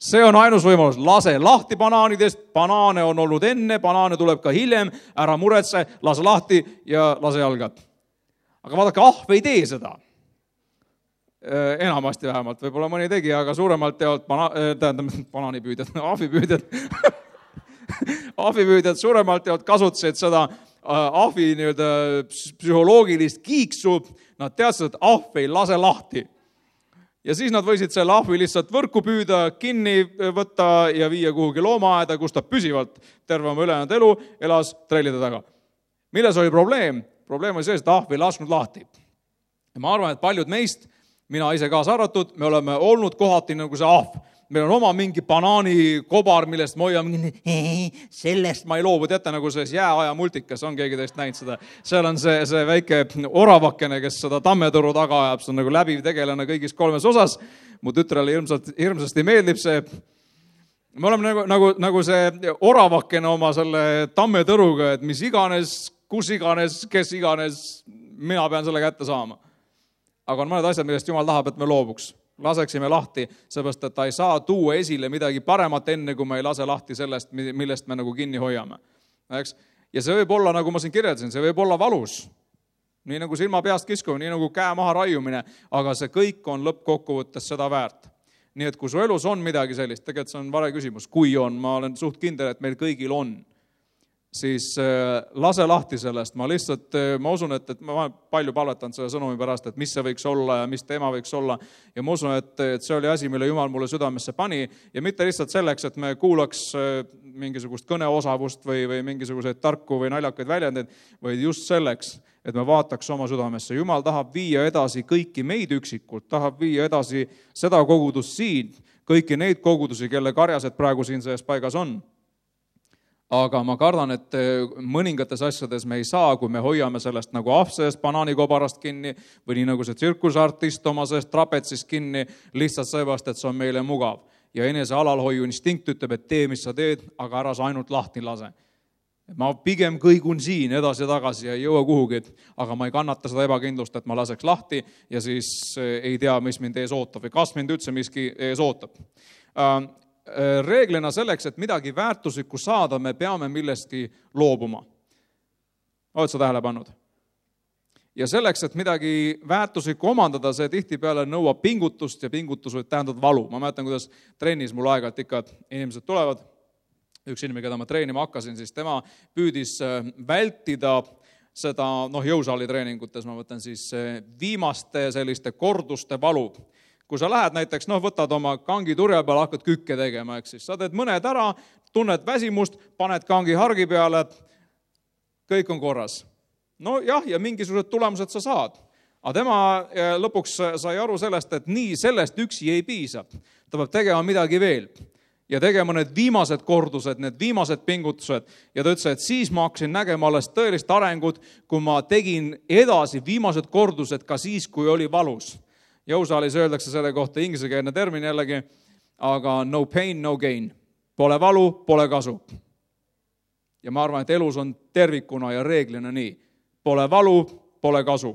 S1: See on ainus võimalus, lase lahti banaanidest, banaane on olnud enne, banaane tuleb ka hiljem, ära muretse, lase lahti ja lase jalga. Aga vaadake, ahv ei tee seda. Enamasti vähemalt, võib-olla mõni tegi, aga suuremalt teavad banaanipüüdjad, ahvipüüdjad suuremalt teavad kasutasid seda ahvi psühholoogilist kiiksu, nad teadsid, et ahv ei lase lahti. Ja siis nad võisid selle ahvi lihtsalt võrku püüda, kinni võtta ja viia kuhugi loomaaeda, kus ta püsivalt terve oma ülejäänud elu elas trellide taga. Milles oli probleem? Probleem oli see, et ahv ei lasknud lahti. Ja ma arvan, et paljud meist, mina ise kaasa arvatud, me oleme olnud kohati nagu see ahv. Meil on oma mingi banaanikobar, millest me hoiame, sellest ma ei loobu. Teate, nagu selles jääaja multikas on keegi teist näinud seda. Seal on see väike oravakene, kes seda tammetõru taga ajab. See on nagu läbiv tegelane kõigis 3 osas. Mu tütrele hirmsasti meeldib see. Me oleme nagu see oravakene oma selle tammetõruga, et mis iganes, kus iganes, kes iganes, mina pean selle kätte saama. Aga on mõned asjad, millest Jumal tahab, et me loobuks. Laseksime lahti, seepärast, et ta ei saa tuua esile midagi paremat enne, kui me ei lase lahti sellest, millest me nagu kinni hoiame. Ja see võib olla, nagu ma siin kirjeldasin, see võib olla valus. Nii nagu silma peast kiskumine, nii nagu käe maha raiumine, aga see kõik on lõppkokkuvõttes seda väärt. Nii et kui su elus on midagi sellist, tegelikult see on vale küsimus, kui on, ma olen suht kindel, et meil kõigil on, siis lase lahti sellest. Ma usun, et ma palju palvetan selle sõnumi pärast, et mis see võiks olla ja mis teema võiks olla. Ja ma usun, et see oli asi, mille Jumal mulle südamesse pani. Ja mitte lihtsalt selleks, et me kuulaks mingisugust kõneosavust või mingisuguseid tarku või naljakaid väljendeid, vaid just selleks, et me vaataks oma südamesse. Jumal tahab viia edasi kõiki meid üksikult, tahab viia edasi seda kogudust siin, kõiki neid kogudusi, kelle karjased praegu siin sees paigas on. Aga ma kardan, et mõningates asjades me ei saa, kui me hoiame sellest nagu ahv sellest banaanikobarast kinni või nii nagu see tsirkusartist oma sellest trapetsist kinni, lihtsalt seepärast, et see on meile mugav. Ja enese alalhoiu instinkt ütleb, et tee, mis sa teed, aga ära sa ainult lahti lase. Ma pigem kõigun siin edasi ja tagasi ja ei jõua kuhugi, aga ma ei kannata seda ebakindlust, et ma laseks lahti ja siis ei tea, mis mind ees ootab või kas mind üldse miski ees ootab. Reeglina selleks, et midagi väärtuslikku saada, me peame millestki loobuma. Oled sa tähele pannud? Ja selleks, et midagi väärtuslikku omandada, see tihtipeale nõuab pingutust ja pingutus võib tähendada valu. Ma mäletan, kuidas trennis mul aeg-ajalt ikka inimesed tulevad. Üks inimene, keda ma treenima hakkasin, siis tema püüdis vältida seda jõusaali treeningutes, ma võtan siis viimaste selliste korduste valu. Kui sa lähed näiteks, võtad oma kangi turja peale, hakkad kükke tegema, eks siis sa teed mõned ära, tunned väsimust, paned kangi hargi peale, kõik on korras. Ja mingisugused tulemused sa saad. Aga tema lõpuks sai aru sellest, et nii sellest üksi ei piisa. Ta peab tegema midagi veel ja tegema need viimased kordused, need viimased pingutused. Ja ta ütles, et siis ma hakkasin nägema alles tõelist arengut, kui ma tegin edasi viimased kordused ka siis, kui oli valus. Jõusaalis öeldakse selle kohta ingliskeelne termin jällegi, aga no pain, no gain. Pole valu, pole kasu. Ja ma arvan, et elus on tervikuna ja reeglina nii. Pole valu, pole kasu.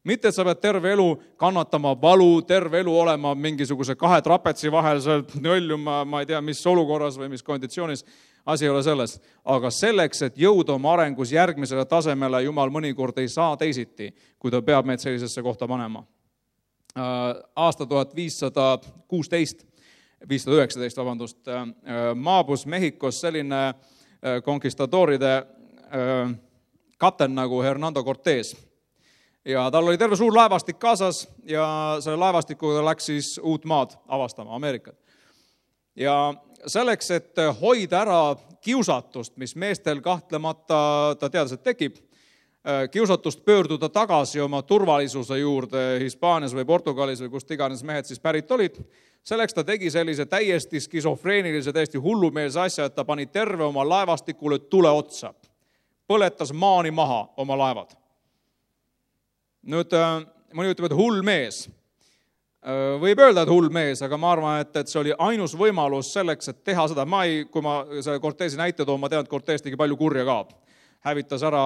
S1: Mitte, et sa pead terve elu kannatama valu, terve elu olema mingisuguse 2 trapetsi vahel, nöljuma, ma ei tea, mis olukorras või mis konditsioonis, asi ei ole selles. Aga selleks, et jõuda oma arengus järgmisele tasemele, Jumal mõnikord ei saa teisiti, kui ta peab meid sellisesse kohta panema. aasta 519, maabus Mehhikos selline konkistadooride kapten nagu Hernando Cortés. Ja tal oli terve suur laevastik kaasas ja selle laevastikuga läks siis uut maad avastama, Ameerikat. Ja selleks, et hoida ära kiusatust, mis meestel kahtlemata ta teadis, et tekib, kiusatust pöörduda tagasi oma turvalisuse juurde Hispaanias või Portugalis või kust iganes mehed siis pärit olid, selleks ta tegi sellise täiesti skisofreenilise, täiesti hullumeelse asja, et ta pani terve oma laevastikule tule otsa. Põletas maani maha oma laevad. Nüüd mõni ütleb, et hull mees. Võib öelda, et hull mees, aga ma arvan, et see oli ainus võimalus selleks, et teha seda. Kui ma selle Cortési näite toon, ma tean, et Cortés tegi palju kurja ka. Hävitas ära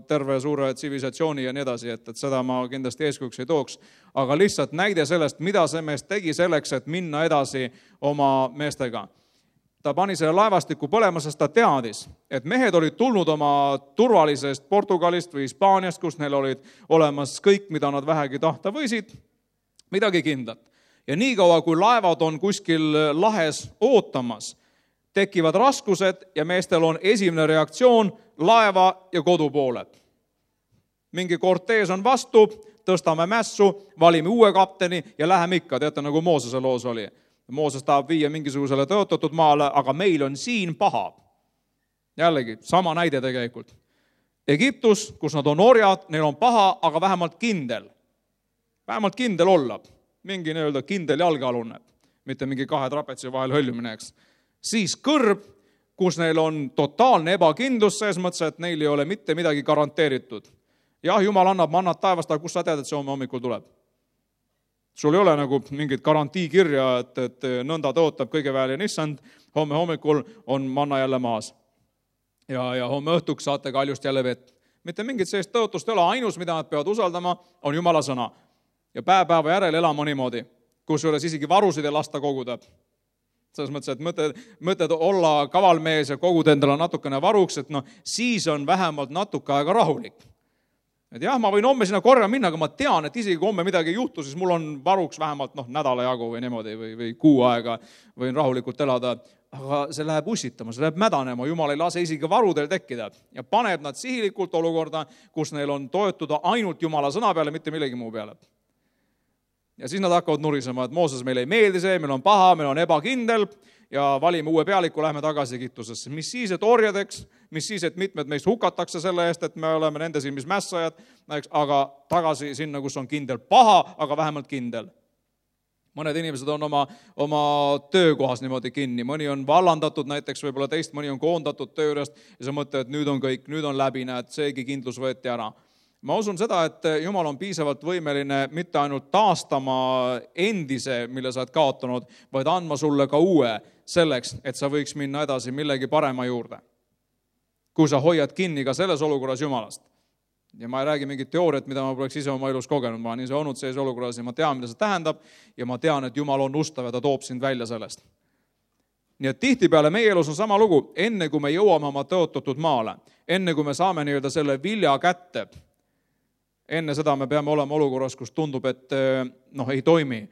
S1: terve suure tsivilisatsiooni ja nii edasi, et seda ma kindlasti eeskujuks ei tooks. Aga lihtsalt näide sellest, mida see mees tegi selleks, et minna edasi oma meestega. Ta pani selle laevastiku põlema, sest ta teadis, et mehed olid tulnud oma turvalisest Portugalist või Hispaaniast, kus neil olid olemas kõik, mida nad vähegi tahta võisid, midagi kindlat. Ja niikaua, kui laevad on kuskil lahes ootamas, tekivad raskused ja meestel on esimene reaktsioon laeva ja kodu poole. Mingi Cortés on vastu, tõstame mässu, valime uue kapteni ja läheme ikka, teate, nagu Moosese loos oli. Mooses tahab viia mingisugusele tõotatud maale, aga meil on siin paha. Jällegi, sama näide tegelikult. Egiptus, kus nad on orjad, neil on paha, aga vähemalt kindel. Vähemalt kindel olla. Mingi nii-öelda kindel jalgealune, mitte mingi kahe trapetsi vahel hõljumine, eks. Siis kõrb, kus neil on totaalne ebakindlus, selles mõttes, et neil ei ole mitte midagi garanteeritud. Jah, Jumal annab mannat taevast, aga kus sa tead, et see homme hommikul tuleb? Sul ei ole nagu mingit garantiikirja, et nõnda tõotab kõige väelin issand, homme hommikul on manna jälle maas. Ja homme õhtuks saate kaljust jälle vett. Mitte mingit sellist tõotust ei ole, ainus, mida nad peavad usaldama, on Jumala sõna. Ja päeva järel elama niimoodi, kus ei ole isegi varusid ja lasta koguda. Selles mõttes, et mõtled olla kavalmees ja koguda endale natukene varuks, et siis on vähemalt natuke aega rahulik. Et jah, ma võin homme sinna korja minna, aga ma tean, et isegi kui homme midagi ei juhtu, siis mul on varuks vähemalt nädala jagu või niimoodi või kuu aega võin rahulikult elada. Aga see läheb ussitama, see läheb mädanema, Jumal ei lase isegi varudel tekkida ja paneb nad sihilikult olukorda, kus neil on toetuda ainult Jumala sõna peale, mitte millegi muu peale. Ja siis nad hakkavad nurisema, et Mooses meil ei meeldi see, meil on paha, meil on ebakindel ja valime uue pealiku, lähme tagasi Egiptusesse. Mis siis, et orjadeks, mis siis, et mitmed meist hukatakse selle eest, et me oleme nende silmis mässajad, aga tagasi sinna, kus on kindel paha, aga vähemalt kindel. Mõned inimesed on oma töökohas niimoodi kinni, mõni on vallandatud näiteks, võib-olla teist, mõni on koondatud töö juurest ja sa mõtled, et nüüd on kõik, nüüd on läbi, näed, seegi kindlus võeti ära. Ma usun seda, et Jumal on piisavalt võimeline mitte ainult taastama endise, mille sa oled kaotanud, vaid andma sulle ka uue selleks, et sa võiks minna edasi millegi parema juurde. Kui sa hoiad kinni ka selles olukorras Jumalast. Ja ma ei räägi mingit teooriat, mida ma poleks ise oma elus kogenud. Ma olen ise olnud selles olukorras ja ma tean, mida see tähendab ja ma tean, et Jumal on ustav ja ta toob sind välja sellest. Nii et tihtipeale meie elus on sama lugu, enne kui me jõuame oma tõotatud maale, enne kui me saame nii-öelda selle vilja kätte, enne seda me peame olema olukorras, kus tundub, et ei toimi.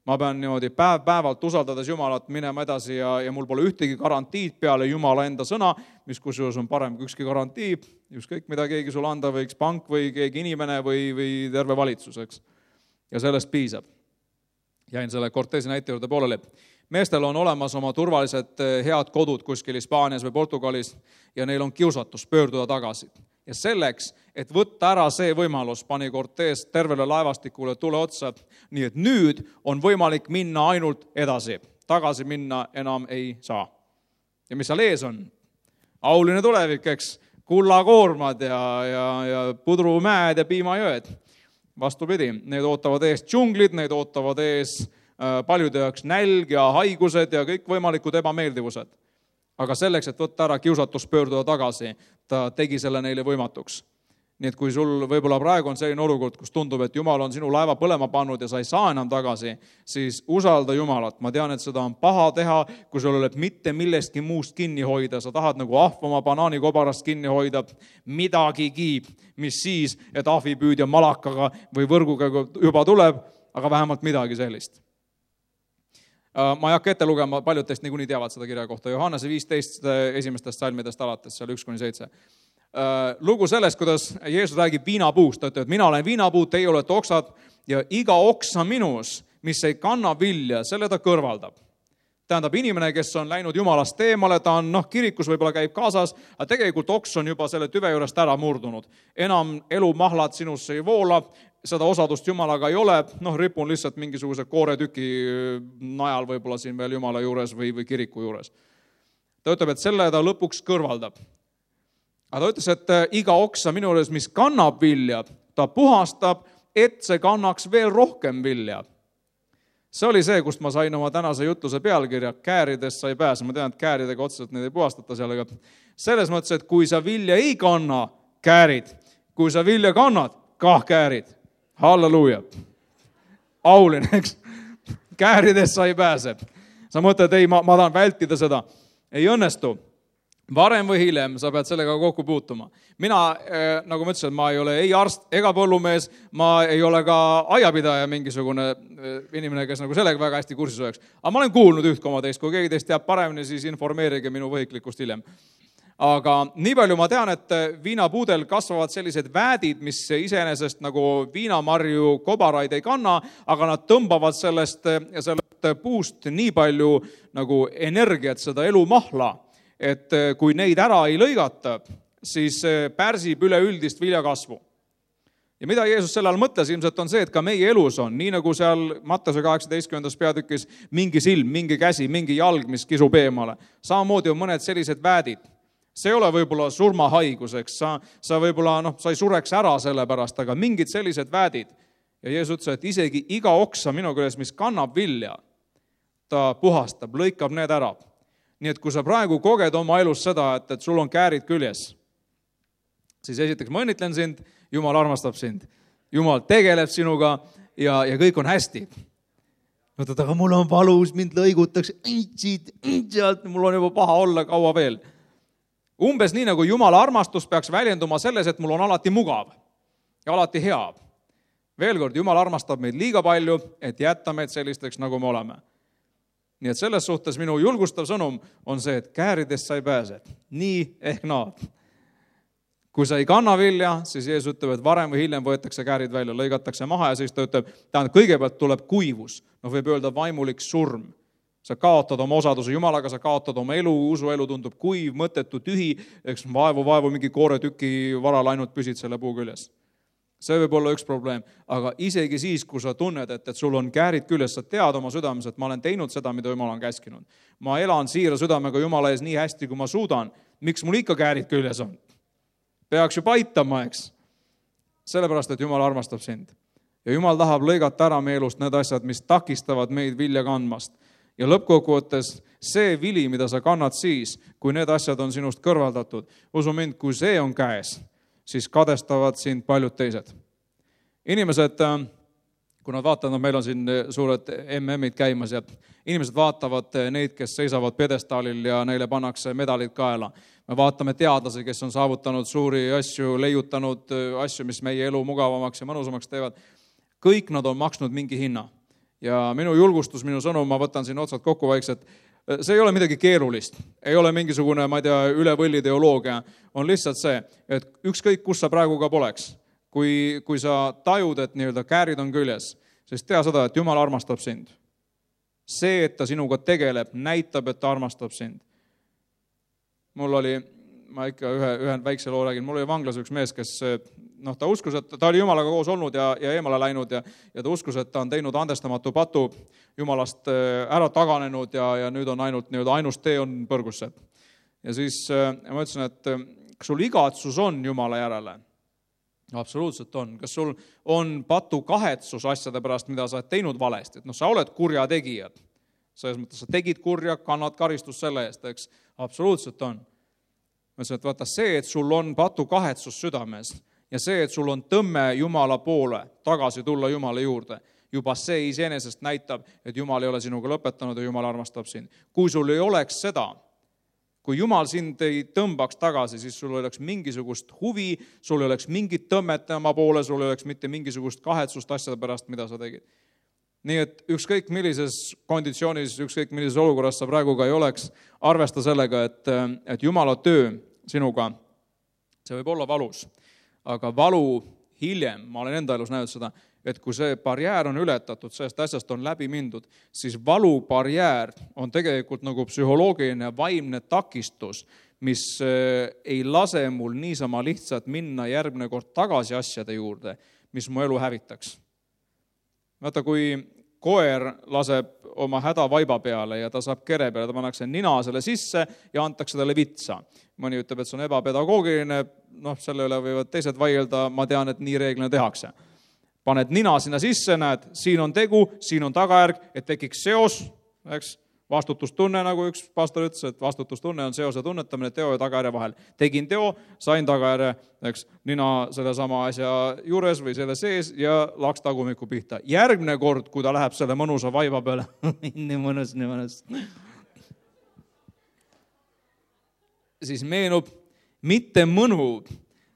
S1: Ma pean niimoodi päevalt usaldades Jumalat minema edasi ja mul pole ühtegi garantiid peale Jumala enda sõna, mis kusjuures on parem kui ükski garantii, ükskõik mida keegi sulle anda võiks, pank või keegi inimene või terve valitsus, eks. Ja sellest piisab. Jäin selle Cortési näite juurde pooleli. Meestel on olemas oma turvalised head kodud kuskil Hispaanias või Portugalis ja neil on kiusatus pöörduda tagasi. Ja selleks, et võtta ära see võimalus, pani Cortés tervele laevastikule tule otsa, nii et nüüd on võimalik minna ainult edasi. Tagasi minna enam ei saa. Ja mis seal ees on? Auline tulevik, eks, kullakoormad ja pudrumäed ja piimajõed. Vastupidi, need ootavad ees džunglid, need ootavad ees paljude jaoks nälg ja haigused ja kõik võimalikud ebameeldivused. Aga selleks, et võtta ära kiusatus pöörduda tagasi, ta tegi selle neile võimatuks. Nii et kui sul võib-olla praegu on selline olukord, kus tundub, et Jumal on sinu laeva põlema pannud ja sa ei saa enam tagasi, siis usalda Jumalat. Ma tean, et seda on paha teha, kui sul oled mitte millestki muust kinni hoida. Sa tahad nagu ahv oma banaanikobarast kinni hoida midagigi, mis siis, et ahvipüüdja malakaga või võrguga juba tuleb, aga vähemalt midagi sellist. Ma ei hakka ette lugema, paljud teist niikuinii teavad seda kirja kohta. Johannese 15 esimestest salmidest alates, seal 1-7. Lugu sellest, kuidas Jeesus räägib viinapuust. Ta ütleb, et mina olen viinapuu, teie olete oksad ja iga oksa minus, mis ei kanna vilja, selle ta kõrvaldab. Tähendab, inimene, kes on läinud Jumalast eemale, ta on kirikus võib-olla käib kaasas, aga tegelikult oks on juba selle tüve juurest ära murdunud. Enam elumahlad sinusse ei voola, seda osadust Jumalaga ei ole, ripun lihtsalt mingisuguse kooretüki najal võib-olla siin veel Jumala juures või kiriku juures. Ta ütleb, et selle ta lõpuks kõrvaldab. Aga ta ütles, et iga oksa minu juures, mis kannab vilja, ta puhastab, et see kannaks veel rohkem vilja. See oli see, kust ma sain oma tänase jutluse pealkirja, kääridest sa ei pääse. Ma tean, et kääridega otseselt neid ei puhastata seal, aga selles mõttes, et kui sa vilja ei kanna, käärid. Kui sa vilja kannad, kah käärid. Halleluuja. Auline, eks? Kääridest sa ei pääse. Sa mõtled, ei, ma tahan vältida seda. Ei õnnestu. Varem või hiljem sa pead sellega kokku puutuma. Mina, nagu ma ütlesin, ma ei ole ei arst ega põllumees, ma ei ole ka aiapidaja mingisugune inimene, kes nagu sellega väga hästi kursis oleks. Aga ma olen kuulnud üht koma teist, kui keegi teist teab paremini, siis informeerige minu võhiklikust hiljem. Aga nii palju ma tean, et viinapuudel kasvavad sellised väädid, mis iseenesest nagu viinamarju kobaraid ei kanna, aga nad tõmbavad sellest puust nii palju nagu energiat, seda elumahla, et kui neid ära ei lõigata, siis pärsib üleüldist viljakasvu. Ja mida Jeesus selle all mõtles, ilmselt on see, et ka meie elus on, nii nagu seal Mattuse 18. peatükis mingi silm, mingi käsi, mingi jalg, mis kisub eemale. Samamoodi on mõned sellised väädid. See ei ole võib-olla surmahaigus, sa võib-olla sa ei sureks ära selle pärast, aga mingid sellised väädid. Ja Jeesus ütles, et isegi iga oksa minu küljes, mis kannab vilja, ta puhastab, lõikab need ära. Nii et kui sa praegu koged oma elus seda, et sul on käärid küljes, siis esiteks ma õnnitlen sind, Jumal armastab sind. Jumal tegeleb sinuga ja kõik on hästi. Mõtled, aga mul on valus, mind lõigutakse, mul on juba paha olla kaua veel. Umbes nii, nagu Jumala armastus peaks väljenduma selles, et mul on alati mugav ja alati hea. Veel kord, Jumal armastab meid liiga palju, et jätta meid sellisteks, nagu me oleme. Nii et selles suhtes minu julgustav sõnum on see, et kääridest sa ei pääse. Nii ehk naa. Kui sa ei kanna vilja, siis Jeesus ütleb, et varem või hiljem võetakse käärid välja, lõigatakse maha ja siis ta ütleb, kõigepealt tuleb kuivus. Võib öelda vaimulik surm. Sa kaotad oma osaduse Jumalaga, sa kaotad oma elu, usuelu tundub kuiv, mõttetu, tühi, eks vaevu mingi kooretüki varal ainult püsid selle puu küljes. See võib olla üks probleem, aga isegi siis, kui sa tunned, et sul on käärid küljes, sa tead oma südames, et ma olen teinud seda, mida Jumal on käskinud. Ma elan siira südamega Jumala ees nii hästi, kui ma suudan. Miks mul ikka käärid küljes on? Peaks ju paitama, eks? Sellepärast, et Jumal armastab sind. Ja Jumal tahab lõigata ära meie elust need asjad, mis takistavad meid vilja kandmast. Ja lõppkokkuvõttes see vili, mida sa kannad siis, kui need asjad on sinust kõrvaldatud, usu mind, kui see on käes, siis kadestavad sind paljud teised. Inimesed, kui nad vaatavad, meil on siin suured MM-id käimas ja inimesed vaatavad neid, kes seisavad pjedestaalil ja neile pannakse medalid kaela. Me vaatame teadlasi, kes on saavutanud suuri asju, leiutanud asju, mis meie elu mugavamaks ja mõnusamaks teevad. Kõik nad on maksnud mingi hinna. Ja minu julgustus, minu sõnum, ma võtan siin otsad kokku vaikselt, see ei ole midagi keerulist, ei ole mingisugune, ma ei tea, üle võlli teoloogia, on lihtsalt see, et ükskõik, kus sa praegu ka poleks, kui sa tajud, et nii-öelda käärid on küljes, siis tea seda, et Jumal armastab sind. See, et ta sinuga tegeleb, näitab, et ta armastab sind. Mul oli, ma ikka ühe väikse loo räägin, mul oli vanglas üks mees, kes ta uskus, et ta oli Jumalaga koos olnud ja eemale läinud ja ta uskus, et ta on teinud andestamatu patu, Jumalast ära taganenud ja nüüd on ainus tee on põrgusse. Ja siis ma ütlesin, et kas sul igatsus on Jumala järele? Absoluutselt on. Kas sul on patu kahetsus asjade pärast, mida sa oled teinud valesti? Et sa oled kurja tegijad. Selles mõttes, sa tegid kurja, kannad karistust selle eest, eks? Absoluutselt on. Ma ütlesin, et vaata see, et sul on patu kahetsus südames ja see, et sul on tõmme Jumala poole, tagasi tulla Jumala juurde, juba see iseenesest näitab, et Jumal ei ole sinuga lõpetanud ja Jumal armastab sind. Kui sul ei oleks seda, kui Jumal sind ei tõmbaks tagasi, siis sul oleks mingisugust huvi, sul oleks mingit tõmmet tema poole, sul oleks mitte mingisugust kahetsust asjade pärast, mida sa tegid. Nii et ükskõik millises konditsioonis, ükskõik millises olukorras sa praegu ka ei oleks, arvesta sellega, et Jumala töö sinuga, see võib olla valus. Aga valu hiljem, ma olen enda elus näinud seda, et kui see barjäär on ületatud, sellest asjast on läbi mindud, siis valu barjäär on tegelikult nagu psühholoogiline vaimne takistus, mis ei lase mul niisama lihtsalt minna järgmine kord tagasi asjade juurde, mis mu elu hävitaks. Vaata, kui koer laseb oma häda vaiba peale ja ta saab kere peale, ta pannakse nina selle sisse ja antakse talle vitsa. Mõni ütleb, et see on ebapedagoogiline, selle üle võivad teised vaielda, ma tean, et nii reeglina tehakse. Paned nina sinna sisse, näed, siin on tegu, siin on tagajärg, et tekiks seos, eks? Vastutustunne, nagu üks pastor ütles, et vastutustunne on seose tunnetamine teo ja tagajärje vahel. Tegin teo, sain tagajärje, eks, nina selle sama asja juures või selle sees ja laks tagumiku pihta. Järgmine kord, kui ta läheb selle mõnusa vaiba peale, nii mõnus. Siis meenub mitte mõnu,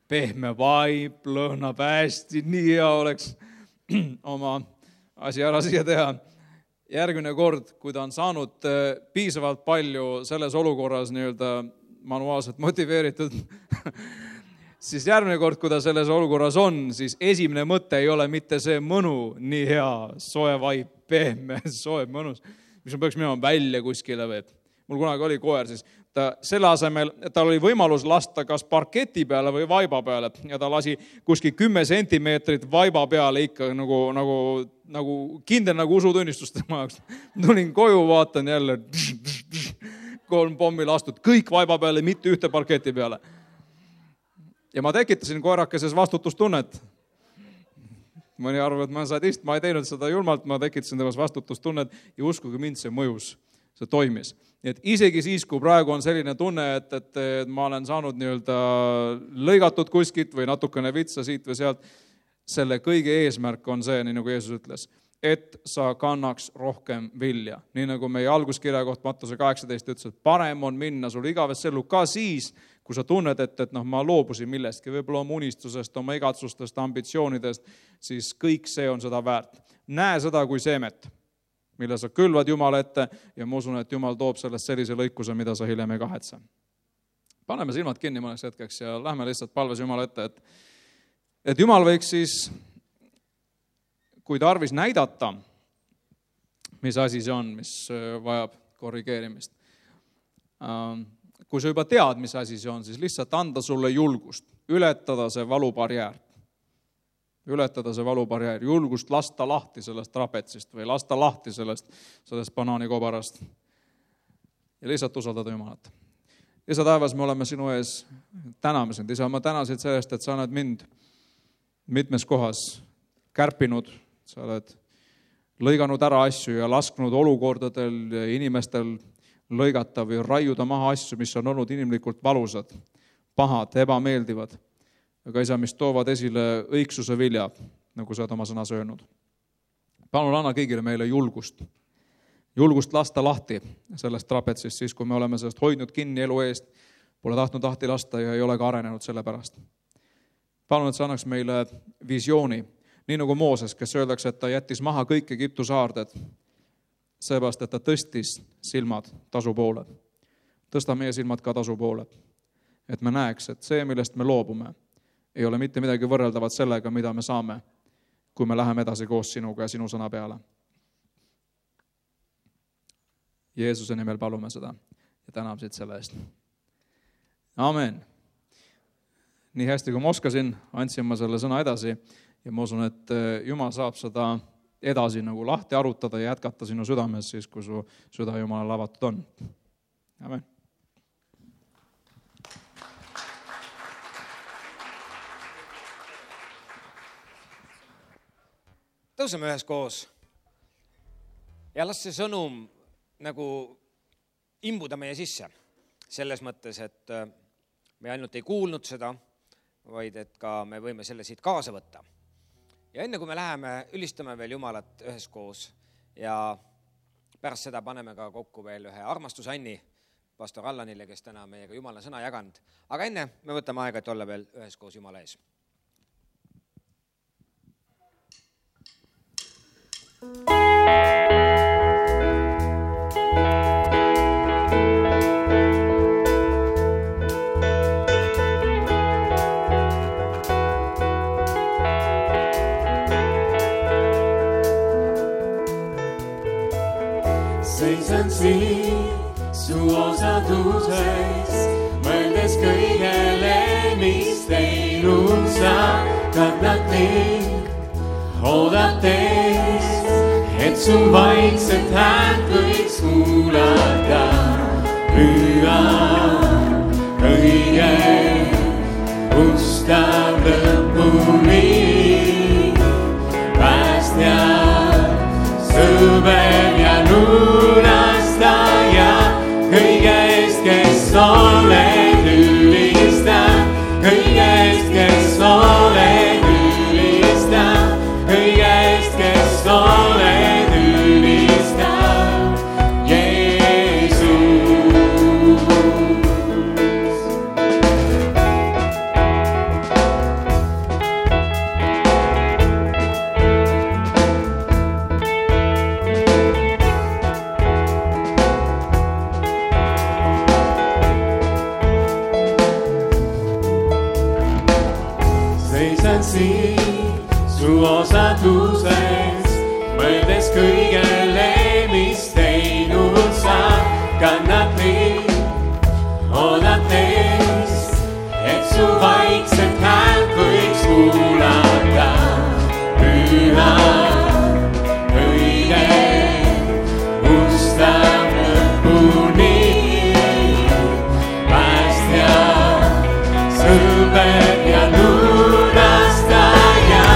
S1: pehme vaib, lõhnab hästi, nii hea oleks oma asi ära siia teha. Järgmine kord, kui ta on saanud piisavalt palju selles olukorras manuaalselt motiveeritud, siis järgmine kord, kui ta selles olukorras on, siis esimene mõte ei ole mitte see mõnu, nii hea, soe vaib, pehme, soe, mõnus, mis ma peaks minema välja kuskile või. Mul kunagi oli koer, siis ta selle asemel, tal oli võimalus lasta kas parketi peale või vaiba peale ja ta lasi kuskil 10 sentimeetrit vaiba peale ikka nagu kindel nagu usutunnistust tema jaoks. Tulin koju, vaatan jälle 3 pommi lastud, kõik vaiba peale, mitte ühte parketi peale. Ja ma tekitasin koerakeses vastutustunnet. Mõni arvab, et ma sadist, ma ei teinud seda julmalt, ma tekitasin temas vastutustunnet ja uskuge mind, see mõjus, see toimis. Nii et isegi siis, kui praegu on selline tunne, et ma olen saanud lõigatud kuskilt või natukene vitsa siit või sealt, selle kõige eesmärk on see, nii nagu Jeesus ütles, et sa kannaks rohkem vilja. Nii nagu meie alguskirja koht Mattuse 18 ütles, et parem on minna sul igavesse ellu ka siis, kui sa tunned, et ma loobusin millestki, võib-olla oma unistusest, oma igatsustest, ambitsioonidest, siis kõik see on seda väärt. Näe seda kui seemet, mille sa külvad Jumala ette ja ma usun, et Jumal toob sellest sellise lõikuse, mida sa hiljem ei kahetse. Paneme silmad kinni mõneks hetkeks ja lähme lihtsalt palves Jumala ette, et Jumal võiks siis, kui tarvis näidata, mis asi see on, mis vajab korrigeerimist. Kui sa juba tead, mis asi see on, siis lihtsalt anda sulle julgust, ületada see valubarjäär. Julgust lasta lahti sellest trapetsist või lasta lahti sellest banaanikobarast ja lihtsalt usaldada Jumalat. Isa taevas, me oleme sinu ees, täname sind. Isa, ma tänasid sellest, et sa oled mind mitmes kohas kärpinud, sa oled lõiganud ära asju ja lasknud olukordadel ja inimestel lõigata või raiuda maha asju, mis on olnud inimlikult valusad, pahad, ebameeldivad. Aga isa, mis toovad esile õigsuse vilja, nagu sa oled oma sõnas öelnud. Palun anna kõigile meile julgust lasta lahti sellest trapetsist, siis kui me oleme sellest hoidnud kinni elu eest, pole tahtnud lahti lasta ja ei ole ka arenenud selle pärast. Palun, et sa annaks meile visiooni, nii nagu Mooses, kes öeldakse, et ta jättis maha kõik Egiptu saarded, seepärast, et ta tõstis silmad tasu poole. Tõsta meie silmad ka tasu poole, et me näeks, et see, millest me loobume, ei ole mitte midagi võrreldavat sellega, mida me saame, kui me läheme edasi koos sinuga ja sinu sõna peale. Jeesuse nimel palume seda ja täname siit selle eest. Amen. Nii hästi, kui ma oskasin, andsin ma selle sõna edasi ja ma usun, et Jumal saab seda edasi nagu lahti arutada ja jätkata sinu südames siis, kui su süda Jumalale avatud on. Amen.
S2: Tõuseme ühes koos ja las see sõnum nagu imbuda meie sisse. Selles mõttes, et me ainult ei kuulnud seda, vaid et ka me võime selle siit kaasa võtta. Ja enne kui me läheme, ülistame veel Jumalat ühes koos ja pärast seda paneme ka kokku veel ühe armastusanni pastor Allanile, kes täna meiega Jumala sõna jaganud. Aga enne me võtame aega, et olla veel ühes koos Jumala ees. Thank you.
S3: seisan siin su osaduses, mõeldes kõigele, mis teinud sa, kannad mind, oodates, et su vaikset häält võiks kuulata. Püha kõige ustav lõpuni, päästja, sõber ja lunastaja, kõige eest, kes oled ülistab, kõige eest, kes oled ülistab, kõige eest, kes oled ülistab, Jeesus. Seisan siin su osaduses, mõeldes kõigele, mis teinud sa, kannad mind, oodates, et su vaikset häält võiks kuulata. Püha kõige ustav lõpuni, päästja, sõber ja lunastaja,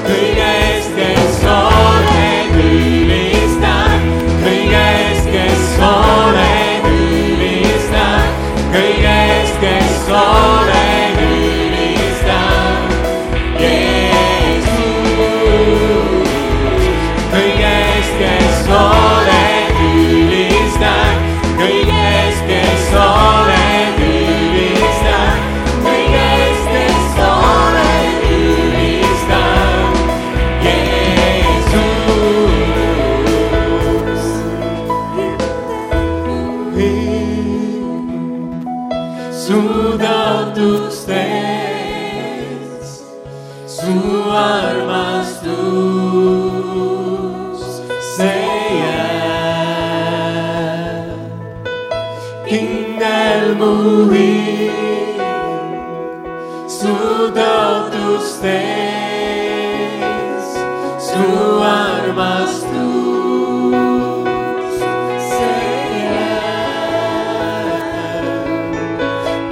S3: kõige eest, kes oled ülistab, kõige eest, kes oled ülistab, kõige eest, kes oled ülistab, Jeesus. Kõige eest, kes oled ülistab, kõige eest, kes oled ülistab, kõige eest, kes oled ülistab, Jeesus. Su taotlustes, su armastus, see jääb. Kindel mu hing, su taotlustes, su armastus, see jääb.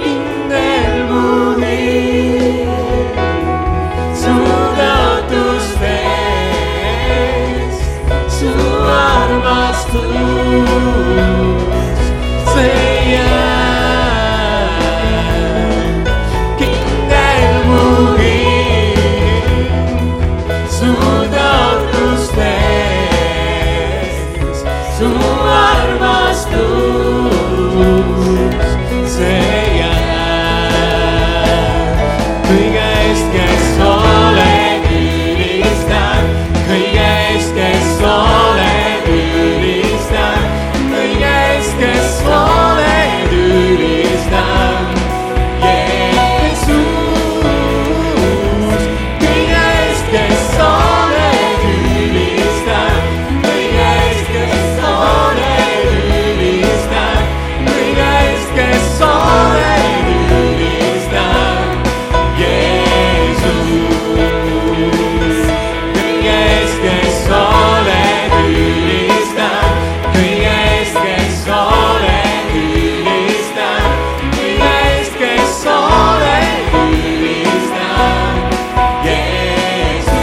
S3: Kindel mu hing, su taotlustes, su armastus, see jääb. Kindel mu hing, su taotlustes, su armastus, see jääb. Kõige eest, kes oled ülistab, kõige eest, kes oled ülistab, kõige eest, kes oled ülistab, Jeesus. Kõige eest, kes oled ülistab, kõige eest, kes oled ülistab, kõige eest, kes oled ülistab, Jeesus. Kõige eest, kes oled ülistab, kõige eest, kes oled ülistab, kõige eest, kes oled ülistab, Jeesus.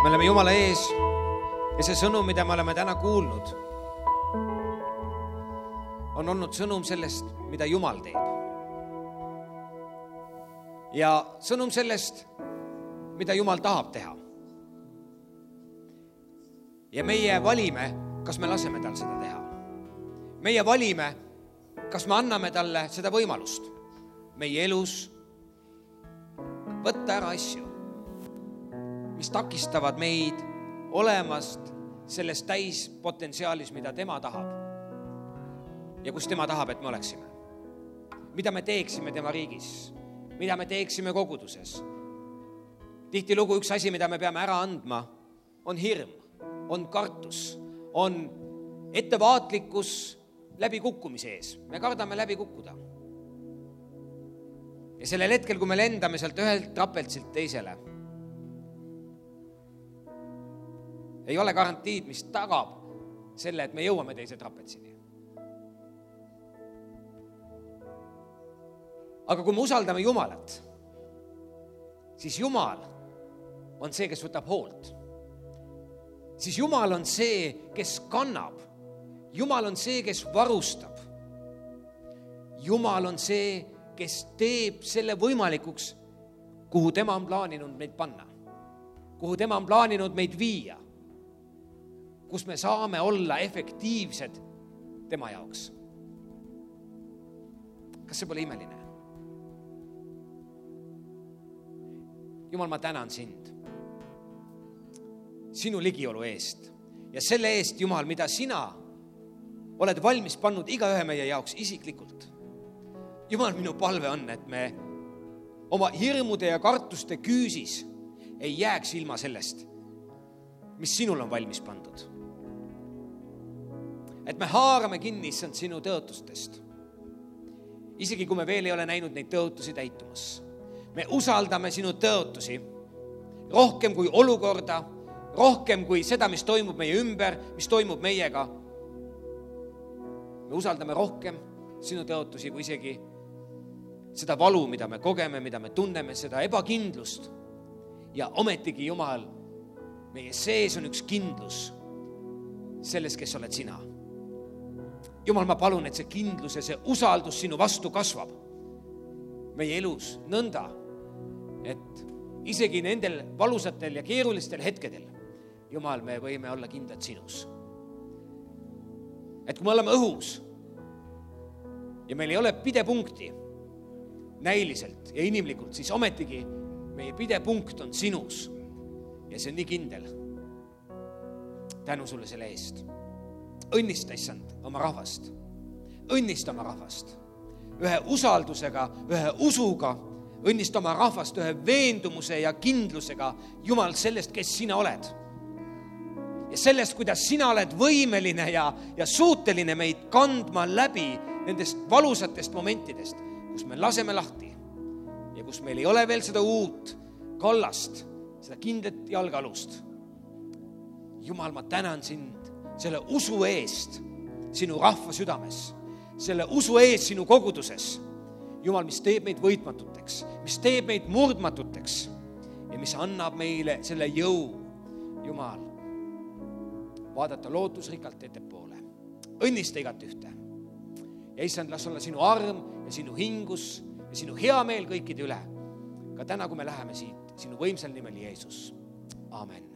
S2: Me oleme Jumala ees ja see sõnum, mida me oleme täna kuulnud, on olnud sõnum sellest, mida Jumal teeb. Ja sõnum sellest, mida Jumal tahab teha. Ja meie valime, kas me laseme tal seda teha. Meie valime, kas me anname talle seda võimalust meie elus võtta ära asju, mis takistavad meid olemast selles täispotentsiaalis, mida tema tahab ja kus tema tahab, et me oleksime. mida me teeksime tema riigis, mida me teeksime koguduses. Tihtilugu üks asi, mida me peame ära andma, on hirm, on kartus, on ettevaatlikkus läbikukkumise ees. Me kardame läbi kukkuda. Ja sellel hetkel, kui me lendame sealt ühelt trapeltsilt teisele, ei ole garantiid, mis tagab selle, et me jõuame teise trapeltsini. Aga kui me usaldame Jumalat, siis Jumal on see, kes võtab hoolt. Siis Jumal on see, kes kannab. Jumal on see, kes varustab. Jumal on see, kes teeb selle võimalikuks, kuhu tema on plaaninud meid panna. Kuhu tema on plaaninud meid viia. Kus me saame olla efektiivsed tema jaoks. Kas see pole imeline? Jumal, ma tänan sind sinu ligiolu eest ja selle eest, Jumal, mida sina oled valmis pannud igaühe meie jaoks isiklikult. Jumal, minu palve on, et me oma hirmude ja kartuste küüsis ei jääks ilma sellest, mis sinul on valmis pandud. Et me haarame kinni issand sinu tõotustest. Isegi kui me veel ei ole näinud neid tõotusi täitumas. Me usaldame sinu tõotusi rohkem kui olukorda, rohkem kui seda, mis toimub meie ümber, mis toimub meiega. Me usaldame rohkem sinu tõotusi kui isegi seda valu, mida me kogeme, mida me tunneme, seda ebakindlust. Ja ometigi, Jumal, meie sees on üks kindlus selles, kes oled sina. Jumal, ma palun, et see kindlus ja see usaldus sinu vastu kasvab meie elus nõnda, et isegi nendel valusatel ja keerulistel hetkedel, Jumal, me võime olla kindlad sinus. Et kui me oleme õhus ja meil ei ole pidepunkti näiliselt ja inimlikult, siis ometigi meie pidepunkt on sinus ja see on nii kindel. Tänu sulle selle eest. Õnnista, issand, oma rahvast. Õnnista oma rahvast. Ühe usaldusega, ühe usuga, õnnista oma rahvast ühe veendumuse ja kindlusega, Jumal, sellest, kes sina oled. Ja sellest, kuidas sina oled võimeline ja suuteline meid kandma läbi nendest valusatest momentidest, kus me laseme lahti ja kus meil ei ole veel seda uut kallast, seda kindlat jalgalust. Jumal, ma tänan sind selle usu eest sinu rahva südames, selle usu eest sinu koguduses. Jumal, mis teeb meid võitmatuteks, mis teeb meid murdmatuteks ja mis annab meile selle jõu, Jumal, vaadata lootusrikkalt ettepoole. Õnnista igat ühte. Ja issand, las olla sinu arm ja sinu hingus ja sinu hea meel kõikide üle. Ka täna, kui me läheme siit, sinu võimsal nimel Jeesus. Amen.